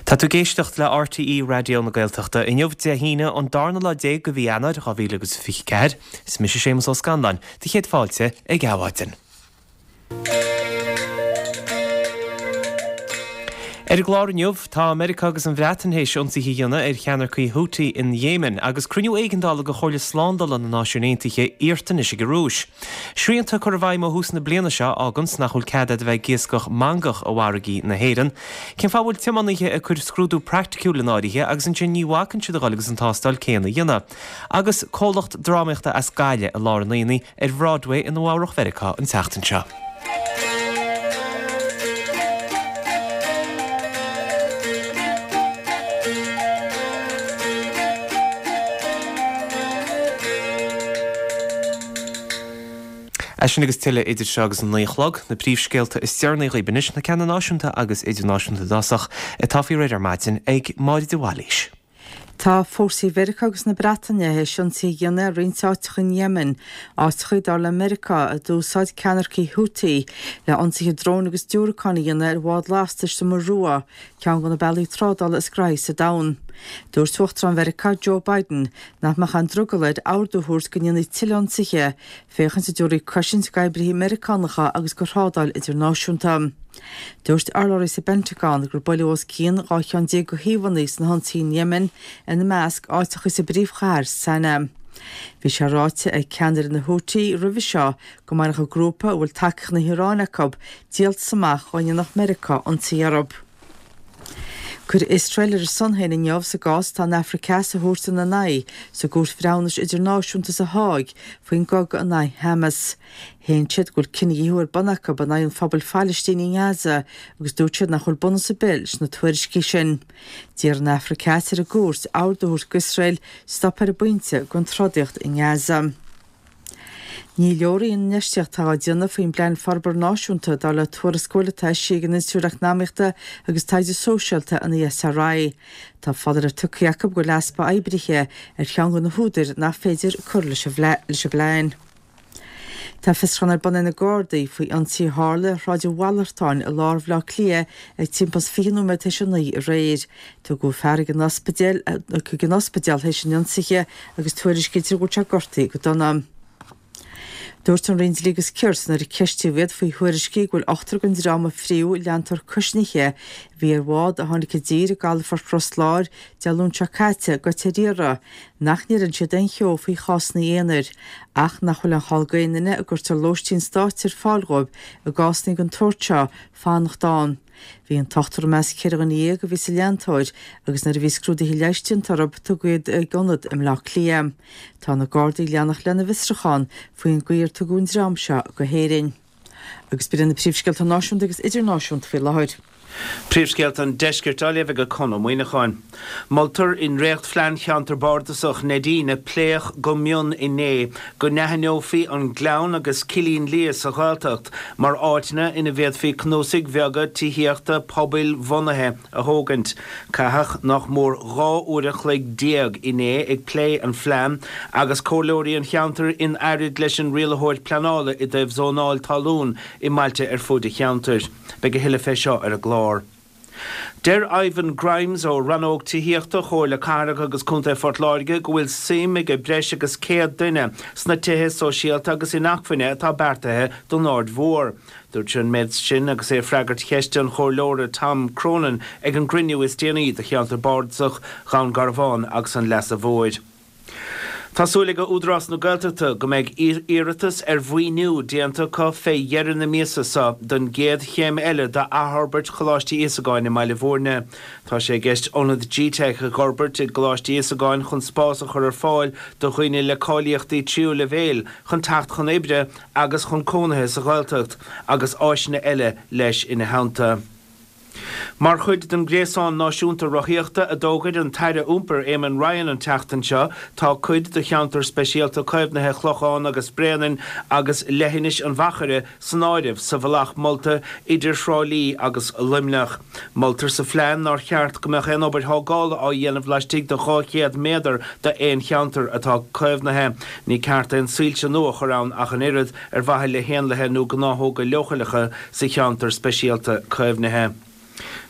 Tá tú ag éisteacht le RTÉ Raidió na Gaeltachta. Inniu, Dé hAoine, an darna lá déag de mhí Eanáir 2024. Is mise Séamus Ó Scanláin, do chéad fáilte ag Adhmhaidin. Ar an gclár inniu, tá Meiriceá agus an Bhreatain théis ionsaithe a dhéanamh ar cheannaircigh Houthi in Yemen agus cruinniú éigeandála de Chomhairle Slándála na Náisiún Aontaithe iarrta anois ag an Rúis. Srianta a curtha i bhfeidhm ó thús na bliana seo a fháganns nach bhfuil cead agat a bheith ag iascach mangach i bhfarraigí na hÉireann. Cén fáth a bhfuil tiománaithe ag cur scrúdú praiticiúil in áirithe agus ansin ní bhacann siad a dhul agus an tástáil céanna a dhéanamh? Agus comhlacht drámaíochta as Gaillimh i lár an aonaigh ar Bhroadway i Nua Eabhrach Mheiriceá an tseachtain seo. É sin agus tuilleadh idir seo agus an 9 a chlog, na príomhscéalta is deireanaí dhaoibh anois, na ceanna náisiúnta agus idirnáisiúnta i dtosach, atá faoi réir ar maidin ag Máire de Bhailís. Tá fórsaí Mheiriceá agus na Breataine théis ionsaithe a dhéanamh ar roinnt áiteacha in Yemen, áiteacha, dar le Meiriceá, a d'úsáid ceannaircigh Houthi le ionsaithe dróin agus diúracán a dhéanamh ar bhád lastais sa Muir Rua, ceann de na bealaí trádála is graithí sa domhan. Dúirt Uachtarán Mheiriceá, Joe Biden, nach mbeadh aon drogall air ordú a thabhairt go ndéanfaí tuilleadh ionsaithe, féachaint an dtabharfaí cosaint d'oibrithe Meiriceánacha agus do thrádáil idirnáisiúnta. Dúirt urlabhraí sa bPentagon gur buaileadh os cionn 12 cheann de shuíomhanna sna hionsaithe in Yemen, ina measc, áiteacha sa bpríomhchathair, Sanaa. Bhí sé ráite ag ceannaire na Houthi roimhe seo go mbainfeadh an grúpa, a bhfuil tacaíocht na hIaráine acu, díoltas amach dá ndéanfadh Meiriceá ionsaí orthu. Cuireadh Iosrael ar a son féin inniu sa gcás atá an Afraic Theas a thabhairt ina n-aghaidh sa gCúirt Bhreithiúnais Idirnáisiúnta sa Háig faoin gcogadh in aghaidh Hamas. Shéan siad go bhfuil cinedhíothú ar bun acu in aghaidh an phobail Phalaistínigh i nGaza agus dúirt siad nach bhfuil bunús ar bith leis na tuairiscí sin. D'iarr an Afraic Theas ar an gcúirt ordú a thabhairt d'Iosrael stop ar an bpointe den trodaíocht i nGaza. Ní leor í an infheistíocht atá á déanamh faoin bPlean Forbartha Náisiúnta, dar le tuarascáil atá eisithe ag an Institiúid Eacnamaíochta agus Taighde Sóisialta, an ESRI. Tá foláireamh tugtha acu go bhfuil easpa oibrithe ar cheann de na húdair nach féidir cur leis an bplean. Tá fiosrúchán ar bun ag na Gardaí faoi ionsaí a tharla ar Shráid an Mhalartáin i lár Bhaile Átha Cliath ag timpeall is 20 nóiméad tar éis a 9 aréir. Tugadh fear chuig an ospidéal chuig an ospidéal théis an ionsaithe agus tuairiscítear go bhfuil sé gortaithe go dona. Dúirt an Roinn Dlí agus Cirt nuair a ceistíodh iad faoi thuairiscí go bhfuil ochtar den dream a fríodh leantóir cuisnithe a bhí ar bhád a tháinig i dtír i gcalafort Ros Láir Dé Luain seo caite goite ar iarraidh nach ndeireann siad aon cheo faoi chásanna aonair, ach nach bhfuil aon chall d'aon duine a gcuirtear lóistín stáit ar fáil dhóibh i gcásanna den tsórt seo fanacht ann. Bhí an t-ochtar i measc 14 dhuine a bhí sa leantóir agus nuair a bhí scrúduithe leighis déanta orthu tugadh iad ag ionad i mBleá Cliath. Tá na Gardaí ag leanacht lena bhfiosrúchán faoin gcaoi ar tugadh an dream seo go hÉirinn. Agus b'in iad na príomhscéalta náisiúnta agus idirnáisiúnta faoi láthair. Príomhscéalta an Deiscirt á léamh ag Conn Ó Muíneacháin. Moltar i ndréachtphlean Cheantar Bardasach Neidín a pléadh go mion inné go n-aithneofaí an Gleann agus Cillín Liath sa Ghaeltacht mar áiteanna ina bhféadfaí cnuasaigh bheaga tithíochta pobail-bhunaithe a thógaint. Caitheadh nach mór 12 uair an chloig inné ag plé an phlean agus comhairleoirí an cheantair in earraid leis an rialaitheoir pleanála i dtaobh zónáil talún i mbailte ar fuaid an cheantair. Beidh a thuilleadh fé seo ar an gclár. Deir Ivan Grimes ó Rannóg Tithíochta Chomhairle Cathrach agus Contae Phort Láirge go bhfuil suim ag breis agus 100 duine sna tithe sóisialta agus inacmhainne atá beartaithe don Aird Mhór. Dúirt sé an méid sin agus é ag freagairt cheiste an Chomhairleora Tom Cronin ag an gcruinniú is déanaí de Cheantar Bardasach Dhún Garbhán agus an Leasa Mhóir. Tá súil ag Údarás na Gaeltachta go mbeidh iarratas ar mhaoiniú déanta acu fé dheireadh na míosa seo don gcéad chéim eile d'athfhorbairt Choláiste Íosagáin i mBaile Bhúirne. Tá sé i gceist ionad G-Teic a dh'fhorbairt i gColáiste Íosagáin chun spás a chur ar fáil do dhaoine le cáilíochtaí tríú leibhéil chun teacht chun oibre agus chun cónaithe sa Ghaeltacht agus áiseanna eile leis ina theannta. Mar chuid den Ghréasán Náisiúnta Rothaíochta a d'fhógair an tAire Iompair Eamon Ryan an tseachtain seo, tá cuid de Cheantar Speisialta Caomhnaithe Chlochán agus Bréanainn agus Leithinis an Mhachaire san áireamh sa bhealach molta idir Thrá Lí agus Luimneach. Moltar sa phlean nár cheart go mbeadh aon obair thógála á dhéanamh laistigh de 200 méadar d'aon cheantar atá caomhnaithe. Ní ceart aon soilse nua a chur ann ach an oiread, ar mhaithe le héanlaithe nó gnáthóga leochaileacha sa cheantar speisialta caomhnaithe.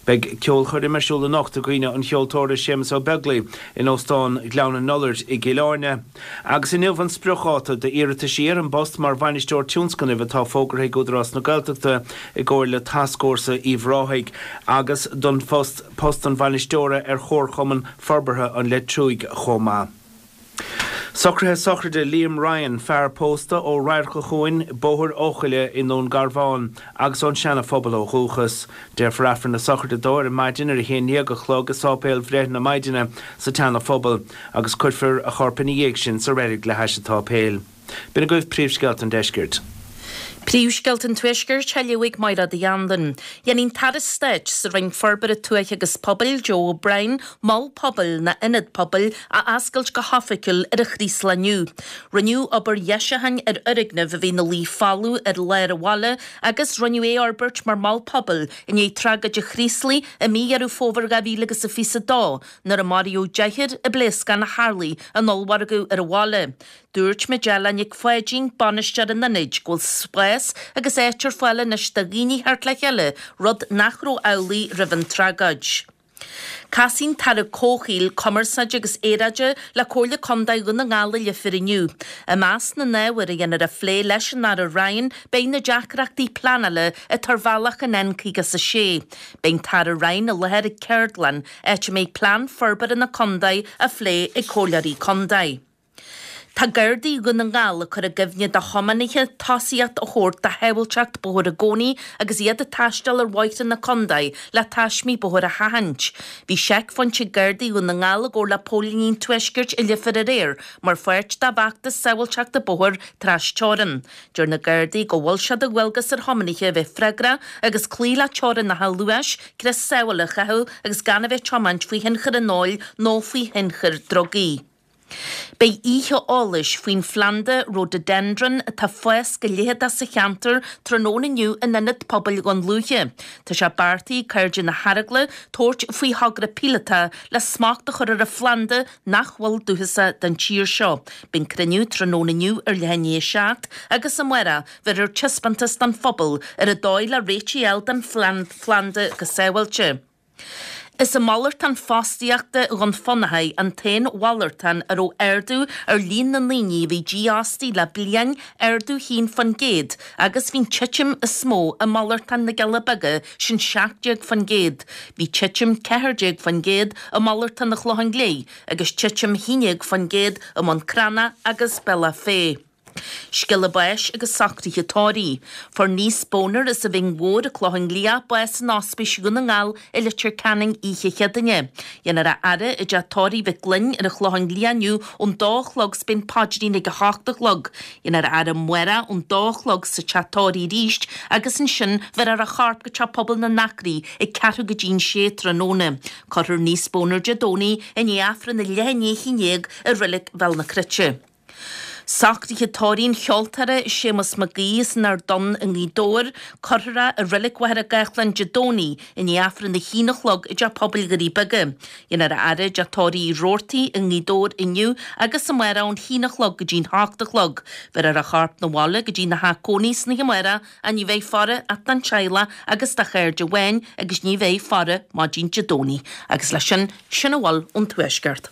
Beidh ceolchoirm ar siúl anocht i gcuimhne an cheoltóra Séamus Ó Beaglaoi in Óstán Ghleann an Iolair i gCill Airne. Agus inniu an spriocdháta d'iarrataisí ar an bpost mar Bhainisteoir Tionscnaimh atá fógartha ag Údarás na Gaeltachta i gcomhar le Tascfhórsa Uíbh Ráthaigh agus don phost post an Bhainisteora ar Chomharchumann Forbartha an Leitriúigh chomh maith. Socruithe sochraide Liam Ryan, fear pósta ó Radharc an Chuain, Bóthar Eochaille i nDún Garbhán agus ón Seana Phobal ó dhúchas. Déarfar Aifreann na sochraide dó ar maidin ar a haon dhéag a chlog i Sáipéal Bhreith na Maighdine sa tSeana Phobal agus cuirfear a chorp ina dhiaidh sin sa reilig le hais an tsáipéil. B'in agaibh príomhscéalta an deiscirt. Príomhscéalta an Tuaiscirt á léamh ag Mairéad Uí Anluain. Déanfaidh an tAire Stáit sa Roinn Forbartha Tuaithe agus Pobail, Joe O'Brien, Mol Pobail nó Ionad Pobail a oscailt go hoifigiúil ar an Chraoslach inniu. Rinneadh obair dheisiúcháin ar fhoirgneamh a bhí ina luí folamh ar lár an bhaile agus rinneadh é a fhorbairt mar mhol pobail i ndiaidh tragóid an Chraoslaigh i mí Dheireadh Fómhair 2022 nuair a maraíodh deichniúr i bpléascán a tharlaigh in ollmhargadh ar an bhaile. Dúirt Majella Nic Pháidín, bainisteoir an ionaid, go bhfuil spás agus áit ar fáil anois do dhaoine theacht le chéile, rud nach raibh amhlaidh roimh an tragóid. Casfaidh an tAire Comhshaoil, Cumarsáide agus Aeráide le Comhairle Contae Dhún na nGall i Leifear inniu. I measc na n-ábhar a dhéanfar a phlé leis an Aire Ryan beidh na deacrachtaí pleanála atá ar bhealach an N56. Beidh an tAire Ryan i láthair ag ceardlann, áit a mbeidh plean forbartha na contae á phlé ag comhairleoirí contae. Tá Gardaí Dhún na nGall ag cur i gcuimhne do thiománaithe tosaíocht a thabhairt do shábháilteacht bóthair i gcónaí agus iad ag taisteal ar bhóithre na contae le taismí bóthair a sheachaint. Bhí seicphointe Gardaí Dhún na nGall i gcomhar le Póilíní an Tuaiscirt i Leifear aréir mar pháirt dá bhfeachtas sábháilteachta bóthair tras-teorann. Deir na Gardaí go bhfuil sé de dhualgas ar thiománaithe a bheith freagrach agus cloí le teorainneacha luais, crios sábhála a chaitheamh agus gan a bheith ag tiomáint faoi thionchar an óil nó faoi thionchar drugaí. Beidh oíche eolais faoin phlanda Rhododendron atá ag fás go leitheadach sa cheantar tráthnóna inniu in Ionad Pobail Dhún Lúiche. Tá sé beartaithe ag Cairde na hEaragla tabhairt faoi thogra píolótach le smacht a chur ar an phlanda nach bhfuil dúchasach don tír seo. Beidh an cruinniú tráthnóna inniu ar leath i ndiaidh a 7 agus amárach bheirfear taispeántas don phobal ar an dóigh le réitigh a fháil don phlanda go sábháilte. Is é malartán fostaíochta Dhún Fionnachaidh an t-aon mhalartán a raibh ardú ar líon na ndaoine a bhí dífhostaithe le bliain, ardú 1%, agus bhí an titim is mó i malartán na gCealla Beaga, sin 17%. Bhí titim 14% i malartán an Chlocháin Léith agus titim 11% i mBun Cranncha agus Bealach Féich. Scéala báis agus socruithe tórraimh. Fuair Neese Boner as an Bhinn Mhór, an Clochán Liath, bás in Ospís Dhún na nGall i Leitir Ceanainn oíche Chéadaoine. Dhéanfar a fhaire i dteach tórraimh Mhic Gloinn ar an Chlochán Liath inniu ón dó a chlog 's beidh an paidrín ag a hocht a chlog. Dhéanfar a fhaire amárach ón dó a chlog sa teach tórraimh arís agus ansin bheirfear a chorp go Teach Pobail na nAcraí ag ceathrú go dtí'n sé tráthnóna. Cuirfear Neese Boner Dé Domhnaigh i ndiaidh Aifreann a leath i ndiaidh a haon dhéag i Reilig Bhéal na Cruite. Socruithe tórraimh an cheoltóra Séamus Mac Aoidh as an Ard Donn i nGaoth Dobhair, cuirfear é i Reilig Mhachaire Gathlán Dé Domhnaigh i ndiaidh Aifreann a haon a chlog i dTeach Pobail Dhoirí Beaga. Dhéanfar a fhaire i dTeach Tórraimh Uí Robhartaigh i nGaoth Dobhair inniu agus amárach ón haon a chlog go dtí'n hocht a chlog. Bheirfear a chorp 'na bhaile go dtína theach cónaí san oíche amárach ach ní bheidh faire ach don teaghlach agus do chairde amháin agus ní bheidh faire maidin Dé Domhnaigh. Agus leis sin, sin a bhfuil ón Tuaisceart.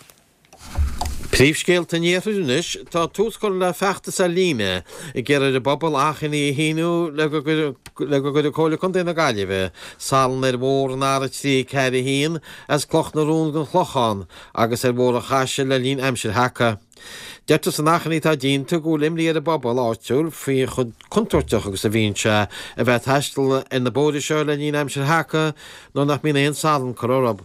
Príomhscéalta an Iarthair anois, tá tús curtha le feachtas ar líne ag iarraidh ar an bpobal achainí a shíniú le go gcuirfidh Comhairle Contae na Gaillimhe salann ar bhóthar an R341 as Cloch na Rón don Chlochán agus ar Bhóthar an Chaisil le linn aimsir sheaca. Deirtear san achainí atá déanta go bhfuil imní ar an bpobal áitiúil faoi chomh contúirteach agus a bhíonn sé a bheith ag taisteal ar na bóithre seo le linn aimsir sheaca nuair nach mbíonn aon salann curtha orthu.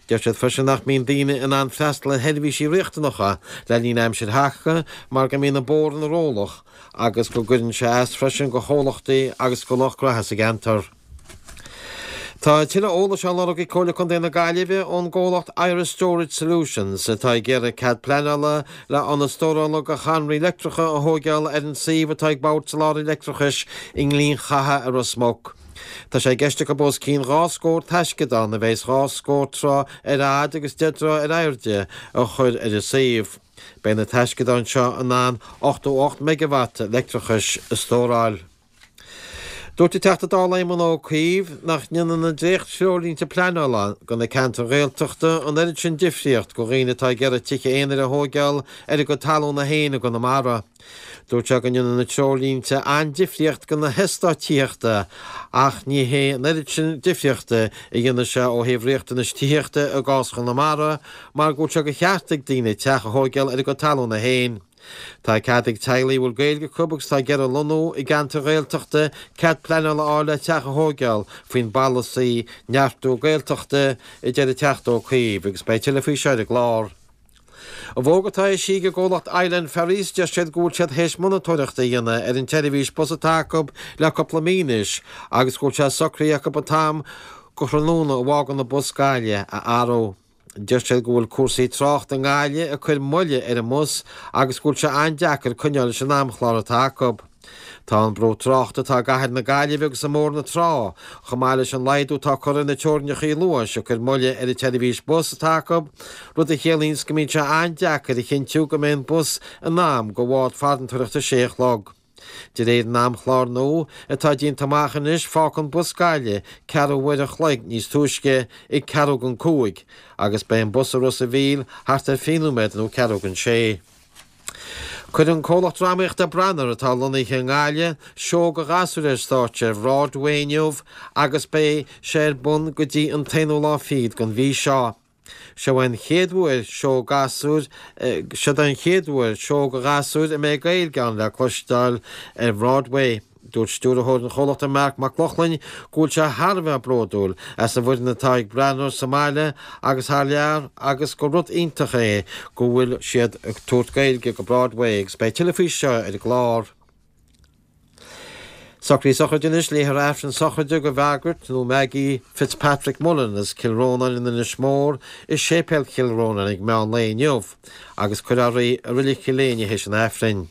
Deir siad freisin nach mbíonn daoine in ann freastal ar sheirbhísí riachtanacha le linn aimsir sheaca mar go mbíonn an bóthar ina rollach agus go gcuireann sé as freisin go chomhlachtaí agus go lucht gnaithe sa gceantar. Tá tuilleadh eolais á lorg ag Comhairle Contae na Gaillimhe ón gcomhlacht Irish Storage Solutions atá ag iarraidh cead pleanála le ionad stórála go chadhnraí leictreacha a thóigeáil ar an suíomh atá ag Bord Soláthair Leictreachais i nGleann Chatha i Ros Muc. Tá sé i gceist acu os cionn 2 scór taisceadán a bheas 2 scór troigh ar fhad agus 10 dtroigh ar airde a chur ar an suíomh. Beidh na taisceadáin seo in ann 88 meigeawatt leictreachais a stóráil. Dúirt an Teachta Dála Éamon Ó Cuív nach ndéanann na dréacht-threoirlínte pleanála do na ceantair Ghaeltachta an oiread sin difríocht do dhaoine atá ag iarraidh tithe aonair a thóigeáil ar a gcuid talúna féin i gConamara. Dúirt sé go ndéanann na treoirlínte an-difríocht do na heastáit tithíochta ach ní hé an oiread sin difríochta a dhéanfaidh sé ó thaobh riachtanais tithíochta i gcás Chonamara mar go bhfuil sé de cheart ag daoine teach a thóigeáil ar a gcuid talúna féin. Tá cead ag teaghlaigh a bhfuil Gaeilge acu agus atá ag iarraidh lonnú i gceantar Ghaeltachta cead pleanála a fháil le teach a thóigeáil faoin bpolasaí Neartú Gaeltachta, a deir an Teachta Ó Cuív, agus beidh tuilleadh faoi seo ar an gclár. I bhfógra atá eisithe ag an gcomhlacht Island Ferries deir siad go bhfuil siad théis monatóireacht a dhéanamh ar an tseirbhís bus atá acu le cúpla mí anois agus go bhfuil sé socraithe acu an t-am go thráthnóna a bhfágann an bus Gaillimh a athrú. Deir siad go bhfuil cúrsaí tráchta i nGaillimh ag cur moille ar an mbus agus go bhfuil sé an-deacair coinneáil leis an amchlár atá acu. Tá an brú tráchta atá i gcathair na Gaillimhe agus i mBóthar na Trá, chomh maith leis an laghdú atá curtha ar na teorainneacha luais ag cur moille ar an tseirbhís bus atá acu, rud a chiallaíonns go mbíonn sé an-deacair a chinntiú go mbeidh an bus in am do bhád farantóireachta a sé a chlog. De réir an amchláir nua atá déanta amach anois fágfaidh an bus Gaillimh ceathrú uair an chloig níos túisce ag ceathrú don cúig agus beidh an bus i Ros a' Mhíl thart ar 20 nóiméad nó ceathrú don sé. Cuirfidh an comhlacht drámaíochta Branar atá lonnaithe i nGaillimh seó do ghasúir ar stáitse ar Bhroadway inniu agus beidh sé ar bun go dtí an t-aonú lá fichead den mhí seo. Seo é an chéad uair seó gasúir Seo den chéad uair seó do ghasúir a mbeidh Gaeilge ann le cloisteáil ar Bhroadway. Dúirt stiúrthóir an chomhlachta Marc Mac Lochlainn go bhfuil sé thar a bheith bródúil as an bhfoireann atá ag Branar sa mbaile agus thar lear agus gur rud iontach é go bhfuil siad ag tabhairt Gaeilge go Broadway agus beidh tuilleadh faoi seo ar an gclár. Socruithe sochraide anois, Léifear Aifreann sochraide do Mhargaret nó Maggie Fitzpatrick Mullen as Cill Rónáin in Inis Mór i Séipéal Chill Rónáin ag meán lae inniu agus cuirfear í i Reilig Chill Éinne théis an Aifrinn.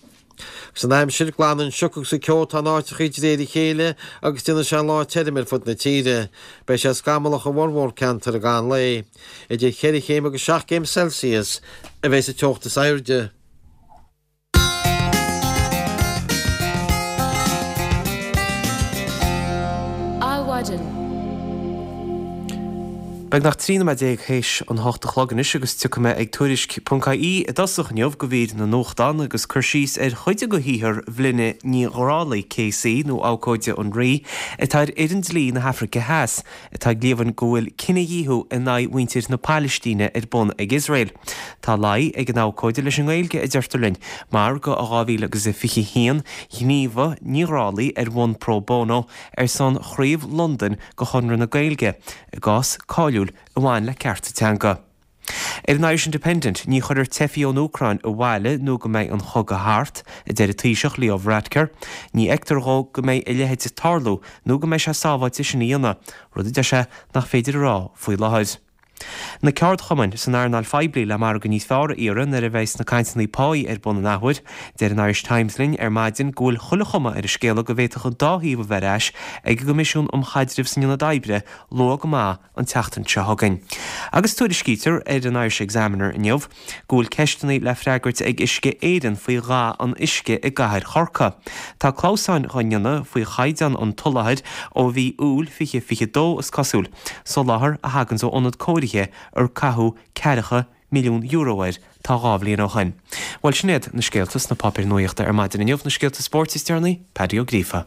Agus an aimsir, glanfaidh an sioc agus an ceo atá in áiteachaí de réir a chéile agus déanfaidh sé an lá tirim ar fud na tíre. Beidh sé scamallach i bhformhór ceantar i gcaitheamh an lae. Idir cheithre chéim agus seacht gcéim Celsius a bheidh sa teocht is airde. Adhmhaidin. Beagnach 13 nóiméad théis an hocht a chlog anois agus tiocfaidh mé ag Tuairisc ponc ie i dtosach inniu go mhír na nuachtán agus cur síos ar chuid de shaothar Bhlinne Ní Ghrálaigh KC nó Abhcóide an Rí atá ar fhoireann dlí na hAfraice Theas atá ag líomhain go bhfuil cinedhíothú in aghaidh mhuintir na Pailistíne ar bun ag Iosrael. Tá luí ag an abhcóide leis an nGaeilge, a deirtear linn, mar go i 2021 ghníomhaigh Ní Ghrálaigh ar bhonn pro bono ar son chraobh Londain de Chonradh na Gaeilge i gcás cáiliúil a bhain le cearta teanga. Ar an Irish Independent, ní chuirfear teifigh ón Úcráin abhaile nó go mbeidh an chogadh thart, a deir an Taoiseach Leo Varadkar. Ní fheictear dhó go mbeidh a leithéid ag tarlú nó go mbeidh sé sábháilte sin a dhéanamh, rud a deir sé nach féidir a rá faoi láthair. Na ceardchumainn san earnáil phoiblí le margadh níos fearr a iarraidh nuair a bheidhs na cainteanna páí ar bun an athuair. Deir an Irish Times linn ar maidin go bhfuil chuile chuma ar an scéala go bhféadfadh an dá thaobh a bheith ar ais ag an gCoimisiún um Chaidreamh san Ionad Oibre luath go maith an tseachtain seo chugainn. Agus tuairiscítear ar an Irish Examiner inniu go bhfuil ceisteanna le freagairt ag Uisce Éireann faoi dhath an uisce i gcathair Chorcaí. Tá clamhsáin dhá ndéanamh faoi chaighdeán an tsoláthair ó mhí Iúil 2022, is cosúil, soláthar a thaganns ó ionad cóirithe ar caitheadh ceathracha milliún euro air tá 2 bhliain ó shoin. Bhuel, sin iad na scéalta sna páipéir nuaíochta ar maidin inniu, na scéalta spóirt is deireanaí, Paddy Ó Gríofa.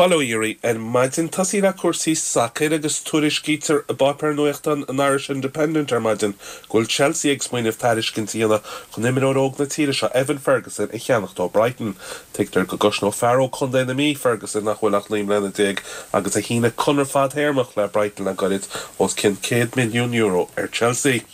Bail ó Dhia oraibh ar maidin. Tosaí le cúrsaí sacair agus tuairiscítear i bpáipéar nuachtáin an Irish Independent ar maidin go bhfuil Chelsea ag smaoineamh tairiscint a dhéanamh chun imreoir óg na tíre seo, Evan Ferguson, a cheannacht ó Brighton. Tuigtear go gcosnódh fear ó Chontae na Mí, Ferguson, nach bhfuil ach 19 mbliana agus a shínigh conradh fadthéarmach le Brighton le goirid, os cionn €100 milliún ar Chelsea.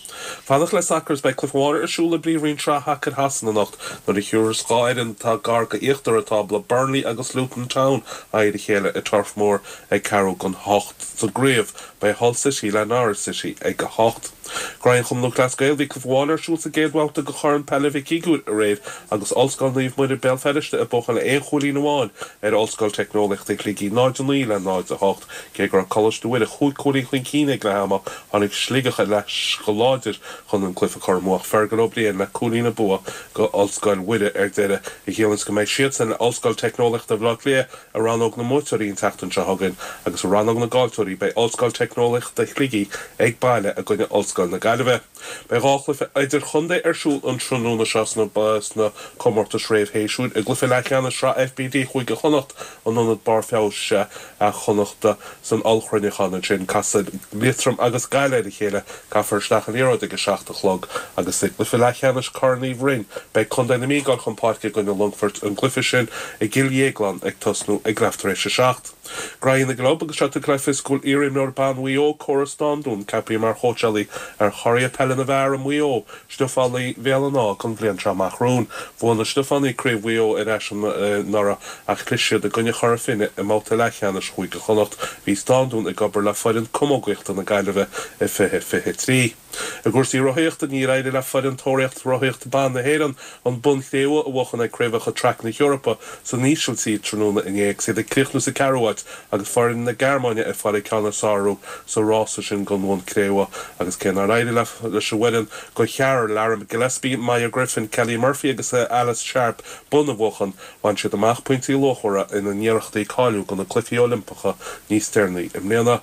Fanacht le sacar is beidh cluiche amháin ar siúl i bPríomhroinn Sraith Shacair Shasana anocht nuair a thiúrfas 2 fhoireann atá gar go íochtar an tábla, Burnley agus Luton Town, aghaidh ar a chéile i Turf Moor ag ceathrú don hocht. Sa gcraobh, beidh Hull City le Norwich City ag a hocht. Graí an Chumann Lúthchleas Gael Bhí cluiche amháin ar siúl sa gcéad bhabhta de Chorn Peile Mhic Uidhir aréir agus Ollscoil Naomh Muire Béal Feirste ag buachan le aon chúilín amháin ar Ollscoil Teicneolaíochta Shligigh, 0-9 le 0-8. Cé go raibh Coláiste Mhuire chúig chúilín chun cinn ag leath ama, tháinig Sligeach ar ais go láidir chun an cluiche a chur amú ach Fergal Ó Briain le cúilín an bua go Ollscoil Mhuire ar deireadh, a chiallaíonns go mbeidh siadsan le Ollscoil Teicneolaíochta Bhaile Átha Cliath i rannóg. rannóg na mbuaiteoirí an tseachtain seo chugainn agus i rannóg na gcaillteoirí beidh Ollscoil Teicneolaíochta Shligigh ag baile i gcoinne Ollscoil na Gaillimhe. Beidh 2 chluiche idirchontae ar siúl an tráthnóna seo sna comórtais réamh-shéasúir. I gcluiche leathcheannais Shraith FBD Chúige Chonnacht in Ionad Barr Feabhais Chonnachta san ollchruinneachán ansin, casfaidh Liatroim agus Gaillimh ar a chéile. Caithfear isteach an liathróid ag a 7 a chlog agus i gcluiche leathcheannais Corn Uí Bhroin, beidh Contae na Mí ag dul chun páirce i gcoinne Longfoirt, an gcluiche sin i gCill Dhéagláin ag tosnú ag leath tar éis a 7. Graithí na gClub agus seo tugtha le fios go bhfuil iarimreoir ban Mhaigh Eo, Cora Standún, ceaptha mar chóitseálaí ar churaidh peile na bhfear i Maigh Eo, Stiofánaigh Bhéal an Átha don bhliain seo amach romhainn. Bhuaigh na Stiofánaigh Craobh Mhaigh Eo ar ais anuraidh ach chlis siad i gcoinne Chora Finne i mbabhta leathcheannais Chúige Chonnacht. Bhí Standún ag obair le foireann camógaíochta na Gaillimhe i 2023. I gcúrsaí rothaíochta, níor éirigh le foireann Tóraíocht Rothaíochta Ban na hÉireann an bonn cré-umha a bhuachan ag Craobhacha Traic na hEorpa san Ísiltír tráthnóna inné agus iad ag críochnú sa ceathrú háit agus foireann na Gearmáine ag fáil an ceann is fearr orthu sa rása sin don bhonn cré-umha agus cé nár éirigh leis an bhfoireann de cheathrar, Lara Gillespie, Maia Griffin, Kelly Murphy agus Alice Sharp, bonn a bhuachan, bhain siad amach pointí luachmhara ina n-iarrachtaí cáiliú do na Cluichí Oilimpeacha níos deireanaí i mbliana.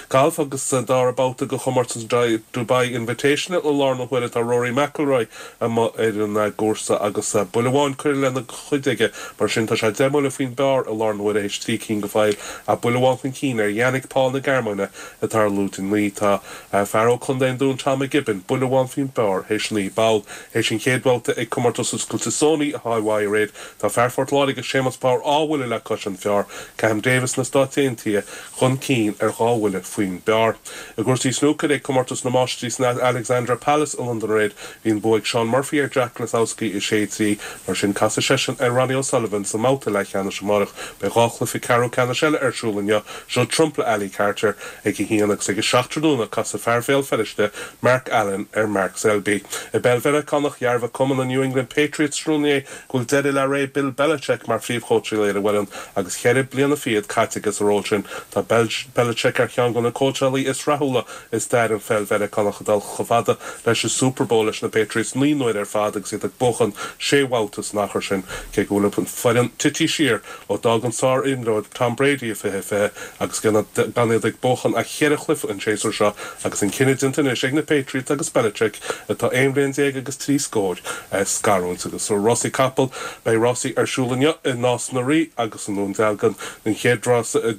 Galf agus sa dara babhta de chomórtas an Dubai Invitational i láthair na huaire tá Rory McIlroy amuigh ar an gcúrsa agus buille amháin curtha lena chuid aige. Mar sin tá sé 10 mbuille faoin bpar i láthair na huaire théis 3 cinn go fóill ach buille amháin chun cinn ar Yannick Paul na Gearmáine atá ar lúide 9. Tá fear ó Contae an Dúin Tom McGibbon buille amháin faoin bpar théis 9 bpoll. Théis an chéad bhabhta ag Comórtas Oscailte Sony i Hawaii aréir tá fear Phort Láirge Séamus Power dhá bhuille le cois an phar. Cam Davis na Stáit Aontaithe chun cinn ar dhá bhuille faoin bpar. I gcúrsaí snúcair ag Comórtas na Máistrí san Alexandra Palace i Londain aréir, bhí an bua ag Shaun Murphy ar Jack Lisowski 6, 3. Mar sin, casfaidh seisean ar Ronnie O'Sullivan sa mbabhta leathcheannais amárach. Beidh 2 chluiche ceathrú ceannais eile ar siúl inniu, Judd Trump le Ali Carter ag a haon agus ag a 7 tráthnóna casfaidh fear Bhéal Feirste, Mark Allen ar Mark Selby. I bpeil Mheiriceánach, dhearbhaigh cumann an New England Patriots tráthnóna inné go bhfuil deireadh le ré Bill Belichick mar phríomhchóitseálaí ar an bhfoireann agus cheithre bliana fichead caite aige sa ról sin. Tá Belichick ar cheann de na cóitseálaí is rathúla i stair an pheil Mheiriceánach ag dul chomh fada leis an Super Bowl leis na Patriots 9 n-uaire ar fad agus iad ag buachan sé bhabhta san achar sin. Cé go bhfuil an foireann tite siar ó d'fhág an sár-imreoir Tom Brady i 2020 agus gan iad ag buachan ach cheithre chluiche an séasúr seo agus an cinneadh déanta anois ag na Patriots agus Belichick, atá aon bhliain déag agus trí scór, scarúint. Agus rásaí capall, beidh rásaí ar siúl inniu i Nás na Rí agus i nDún Dealgan. An chéad rás i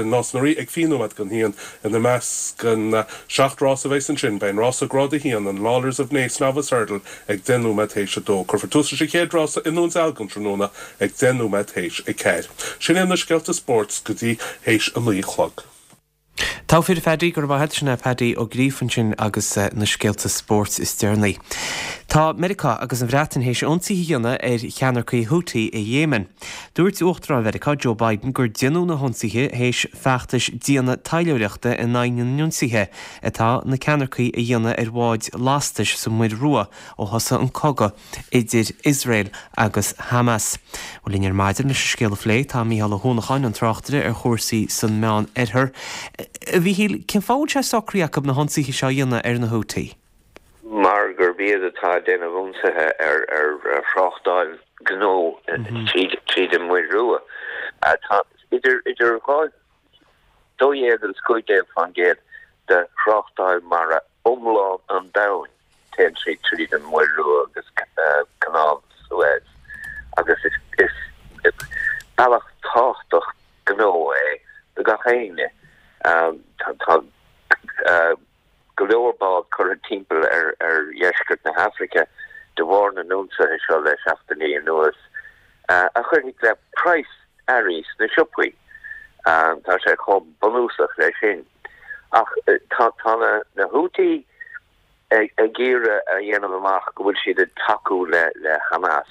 Nás na Rí ag 20 nóiméad don haon. Ina measc an 7 rás a bheas ansin beidh an rása Grád 1, an Lawlor's of Naas Novice Hurdle ag 10 nóiméad théis 2. Cuirfear tús leis an chéad rása i nDún Dealgan tráthnóna ag 10 nóiméad théis 4. Sin iad na scéalta spóirt go dtí théis a 9 a chlog. Togha fir a Phaddy, go raibh maith agat. Sin é Paddy Ó Gríofa ansin agus na scéalta spóirt is deireanaí. Tá Meiriceá agus an Bhreatain théis ionsaithe a dhéanamh ar cheannaircigh Houthi i Yemen. Dúirt Uachtarán Mheiriceá Joe Biden gur déanadh na hionsaithe théis feachtais diana taidhleoireachta in aghaidh na n-ionsaithe atá na ceannaircigh a dhéanamh ar bháid lastais sa Muir Rua ó thosaigh an cogadh idir Iosrael agus Hamas. Bhuel, linn ar maidin leis an scéal a phlé tá Mícheál Ó hUanacháin, an tráchtaire ar chúrsaí san Meán Oirthear. A Mhíchíl, cén fáth a bhfuil sé socraithe acu na hionsaithe seo a dhéanamh ar na Houthi? Mar gurb iad atá ag déanamh ionsaithe ar thráchtáil gnó tríd an Muir Rua. Tá idir 12 agus 15% de thráchtáil mara iomlán an domhain. Téann sí tríd an Muir Rua agus Canáil Suez agus is bealach tábhachtach gnó é do gach éinne. Tá go leor bád curtha timpeall ar dheisceart na hAfraice de bharr na n-ionsaithe seo le seachtainí anuas, a chuirfidh le praghas earraí sna siopaí. Tá sé chomh bunúsach leis sin. Ach tá na Houthi ag iarraidh a dhéanamh amach go bhfuil siad ag tacú le Hamas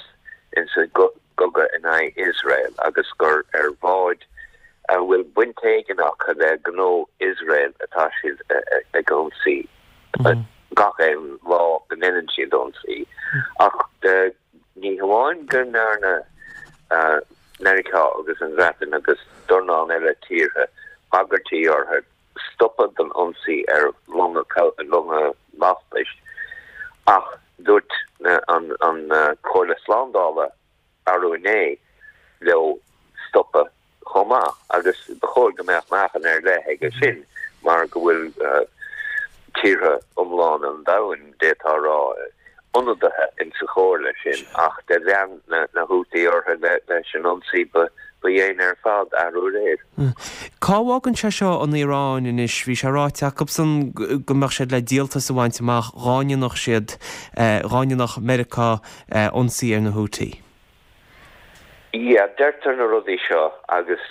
insa gcogadh in aghaidh Iosrael agus gur ar bháid a bhfuil baint éigin acu le gnó Iosrael atá siad ag ionsaí gach aon lá go ndéanann siad ionsaí. Ach ní hamháin go ndearna Meiriceá agus an Bhreatain agus dornán eile tíortha bagairtí orthu, stopadh den ionsaí ar longa lastais ach dúirt an Chomhairle Slándála arú inné leo stopadh. chomh maith agus ba chóir go mbeadh meáchan ar leith aige sin mar go bhfuil tíortha iomlána an domhain, d'fhéadfá a rá, ionadaithe insa chomhairle sin ach do lean na Houthi orthu leis an ionsaí ba dhéine ar fad arú aréir. Cá bhfágann sé seo an Iaráin anois? Bhí sé ráite acusan go mbeadh siad le díoltas a bhaint amach dhá ndéanfadh siad, dhá ndéanfadh Meiriceá ionsaí ar na Houthi. Yeah, deirtear na rudaí seo agus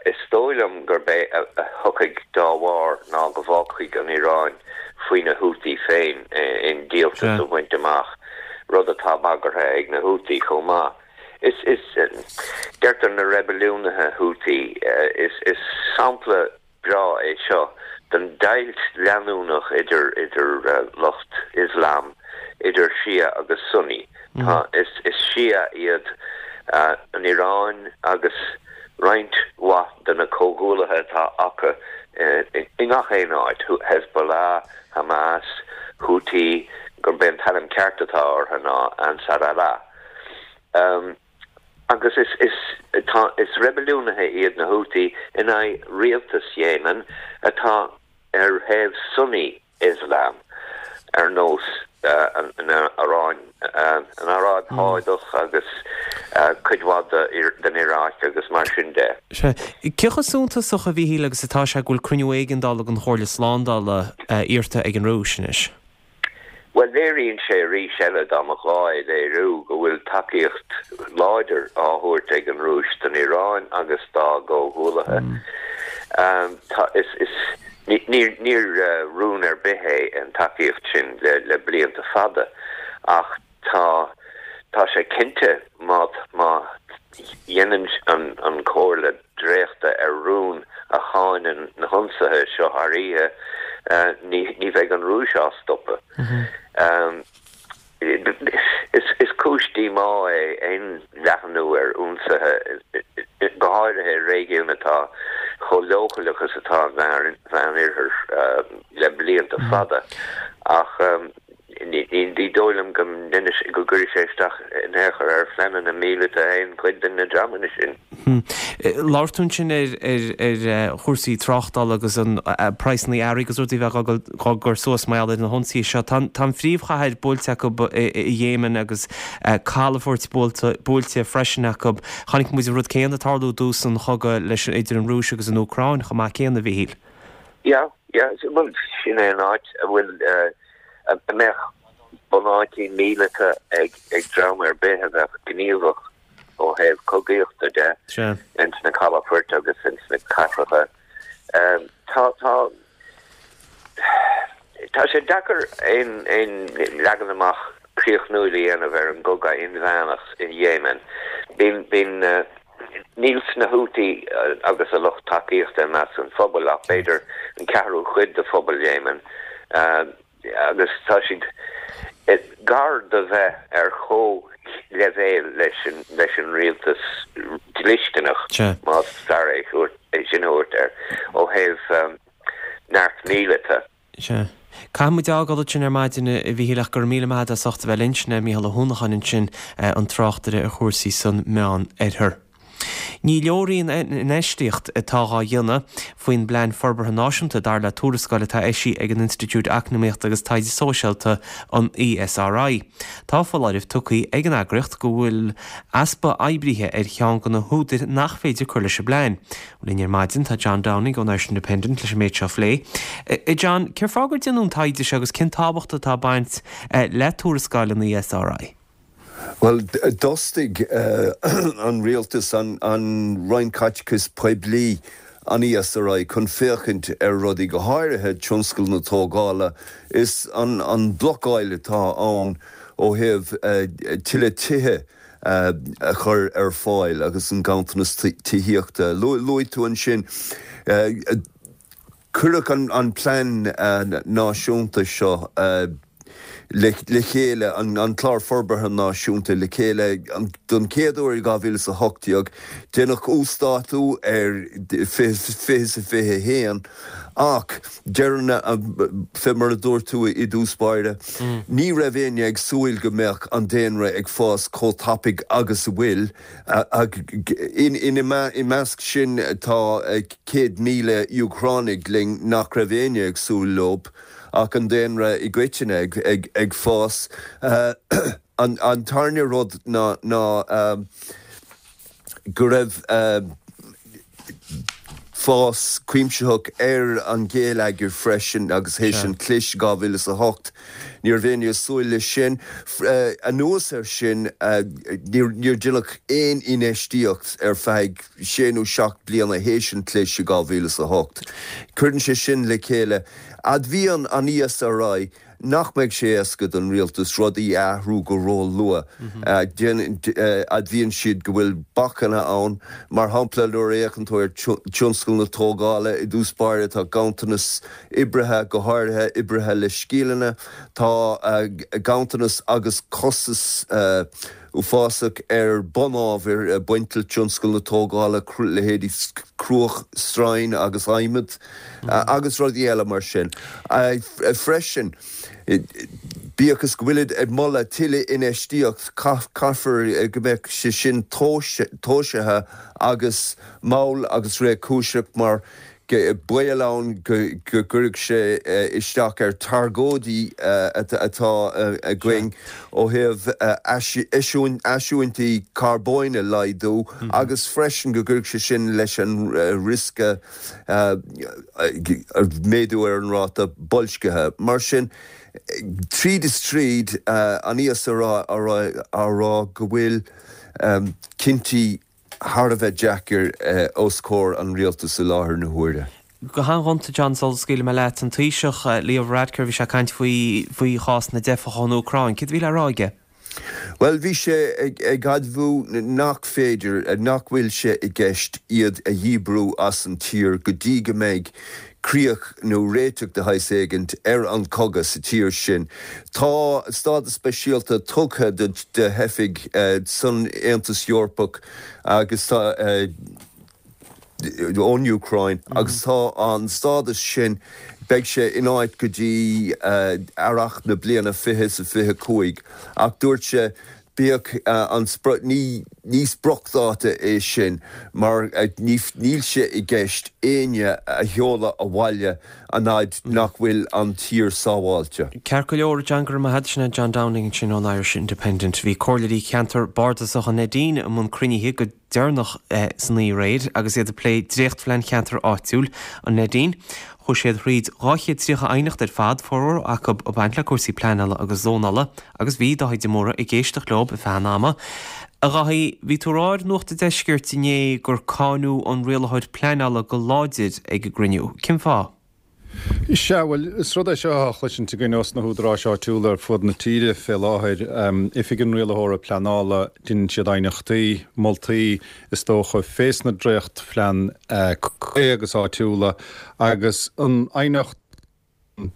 is dóigh liom gurb é a thiocfaidh dá bharr ná go bhfágfaidh an Iaráin faoi na Houthi féin aon díoltas a bhaint amach, rud atá bagartha ag na Houthi chomh maith. Is, is, deirtear na reibiliúnaithe Houthi, is, is sampla breá é seo den deighilt leanúnach idir idir lucht Ioslam, idir Shia agus Sunni. Tá, is is Shia iad an Iaráin agus roinnt mhaith de na comhghuallaithe atá acu i ngach aon áit, Hezbollah, Hamas, Houthi, gurb é an t-ainm ceart atá orthu ná Ansar Allah. Agus is, is, tá, is reibiliúnaithe iad na Houthi in aghaidh rialtas Yemen atá ar thaobh Sunni Islam, ar nós an Iaráin, an Aráib Shádach agus cuid mhaith den Iaráic agus mar sin de. Sea. Cé chomh suntasach, a Mhíchíl, agus atá sé go bhfuil cruinniú éigeandála den Chomhairle Slándála iarrta ag an Rúis anois? Bhuel, léiríonn sé arís eile, dá mba ghá é léiriú, go bhfuil tacaíocht láidir á thabhairt ag an Rúis don Iaráin agus dá gcomhghuallaithe. Tá, is, is, ní, ní rún ar bith é an tacaíocht sin le, le blianta fada ach tá, tá sé cinnte má, má dhéanann an, an Chomhairle dréachta ar rún a cháineann na hionsaithe seo thar oíche, ní bheidh an Rúis á stopadh. Is cúis díomá é aon leathnú ar ionsaithe, go háirithe i réigiún atá chomh leochaileach is atá an Mheánoirthear le blianta fada, ach Ní dóigh liom go go gcuirfidh sé isteach in aon chor ar phleananna míleata aon chuid de na dreamanna sin. Labhair tú ansin ar ar chúrsaí tráchtála agus an praghsanna earraí agus rudaí a bheith á gcur suas mar gheall ar na hionsaithe seo. Tá an phríomhchathair buailte acu i Yemen agus calafoirt buailte freisin acu. Chonaic muid an rud céanna ag tarlú i dtús an chogaidh leis idir an Rúis agus an Úcráin chomh maith céanna, a Mhíchíl. Yeah, yeah, bhuel sin é an áit a bhfuil a mbeadh bunáití míleata ag dream ar bith a bheadh gníomhach ó thaobh cogaíochta de ins na calafoirt agus ins na cathracha. Tá, tá, tá sé deacair aon, aon leagan amach críochnúil a dhéanamh ar an gcogadh inmheánach in Yemen. Bíonn, bíonn, níl sna Houthi agus a lucht tacaíochta i measc an phobail ach b'fhéidir an ceathrú cuid de phobal Yemen agus tá siad gar do bheith ar chomhleibhéal leis an leis an rialtas dlisteanach, más fearr é sin a thabhairt air, ó thaobh neart míleata. Sea. Caithfidh muid fágáil ansin ar maidin, a Mhíchíl, ach go raibh míle maith agat as ucht a bheith linn. Sin é Mícheál Ó hUanacháin ansin, an tráchtaire ar chúrsaí san Meán-Oirthear. Ní leor í an infheistíocht atá dhá dhéanamh faoin bPlean Forbartha Náisiúnta, dar le tuarascáil atá eisithe ag an Institiúid Eacnamaíochta agus Taighde Sóisialta, an ESRI. Tá foláireamh tugtha ag an eagraíocht go bhfuil easpa oibrithe ar cheann de na húdair nach féidir cur leis an bplean. Linn ar maidin tá John Downing ón Irish Independent leis an méid seo a phlé. A John, cén fáth gur déanadh an taighde seo agus cén tábhacht atá ag baint le tuarascáil an ESRI? Bhuel, d'fhostaigh an rialtas, an Roinn Caiteachais Poiblí, an ESRI chun féachaint ar rudaí, go háirithe tionscal na tógála is an blocáil atá ann ó thaobh tuilleadh tithe a chur ar fáil agus an ganntanas tithíochta. Luaigh tú ansin, cuireadh an plean náisiúnta seo. Le chéile, an Clár Forbartha Náisiúnta le chéile don chéad uair i 2018. Deineadh uasdátú ar 2021 ach deireann, fé mar a dúirt tú i dtús báire, ní raibh éinne ag súil go mbeadh an daonra ag fás chomh tapaidh agus a bhfuil. I measc sin tá 100,000 Úcránaigh linn nach raibh éinne ag súil leo. ach an daonra i gcoitinne ag fás. An tarna rud ná go raibh fás cuimsitheach ar an gheilleagar freisin agus théis an chlis 2008 ní raibh éinne ag súil leis sin. Anuas air sin níor deineadh aon infheistíocht ar feadh sé nó seacht bliana théis an chlis i 2008. Cuireann sé sin le chéile. Admhaíonn an ESRI nach mbeidh sé éasca don rialtas rudaí a athrú go ró-luath. Admhaíonn siad go bhfuil bacanna ann. Mar shampla, nuair a fhéachann tú ar tionscal na tógála i dtús báire, tá ganntanas oibrithe, go háirithe oibrithe le scileanna. Tá ganntanas agus costas uafásach ar bunábhair ag baint le tionscal na tógála, leithéidí cruach, stroighin agus adhmad agus rudaí eile mar sin. Freisin, bíodh is go bhfuilid ag moladh tuilleadh infheistíocht, caithfear go mbeadh sé sin tomhaiste agus mall agus réchúiseach mar baol ann go gcuirfeadh sé isteach ar thargóidí atá againn ó thaobh eisiúintí carbóin a laghdú agus freisin go gcuirfeadh sé sin leis an riosca méadú ar an ráta boilscithe. Mar sin, tríd is tríd, an ESRI á rá go bhfuil cinntí thar a bheith deacair os comhair an rialtais i láthair na huaire. Go han-ghonta, John, sula scaoilfidh mé leat, an Taoiseach, Leo Varadkar, bhí sé ag caint faoi faoi chás na dteifeach ón Úcráin. Céard a bhí le rá aige? Bhuel, bhí sé ag admhú nach féidir, nach bhfuil sé i gceist iad a dhíbriú as an tír go dtí go mbeidh críoch nó réiteach de shaghas éigint ar an chogadh sa tír sin. Tá stádas speisialta tugtha do theifigh san Aontas Eorpach agus tá ón Úcráin agus tá an stádas sin, beidh sé in áit go dtí earrach na bliana 2025 ach dúirt sé Bíodh an sprioc, ní spriocdháta é sin mar níl sé i gceist éinne a sheoladh abhaile an fhaid nach bhfuil an tír sábháilte. Ceart go leor, John, go raibh maith agat. Sin é John Downing ansin ón Irish Independent. Bhí comhairleoirí cheantar bardasach an Neidín i mbun cruinnithe go deireanach san oíche aréir agus iad ag plé dréachtphlean cheantar áitiúil an Neidín. Chuaigh siad thríd 230 aighneacht ar fad, formhór acu ag baint le cúrsaí pleanála agus zónála, agus bhí Dáithí de Mórdha ag éisteacht leo ar feadh an ama. A Dháithí, bhí tú ag rá ar Nuacht an Deiscirt inné gur cáineadh an rialaitheoir pleanála go láidir ag an gcruinniú. Cén fáth? Sea, bhuel, is rud é seo atá á chloisint againn ós na húdaráis áitiúla ar fud na tíre fé láthair. Oifig an Rialaitheora Pleanála, deineann siad aighneachtaí, moltaí, is dócha, fés na dréachtphlean contae agus áitiúla agus an aighneacht an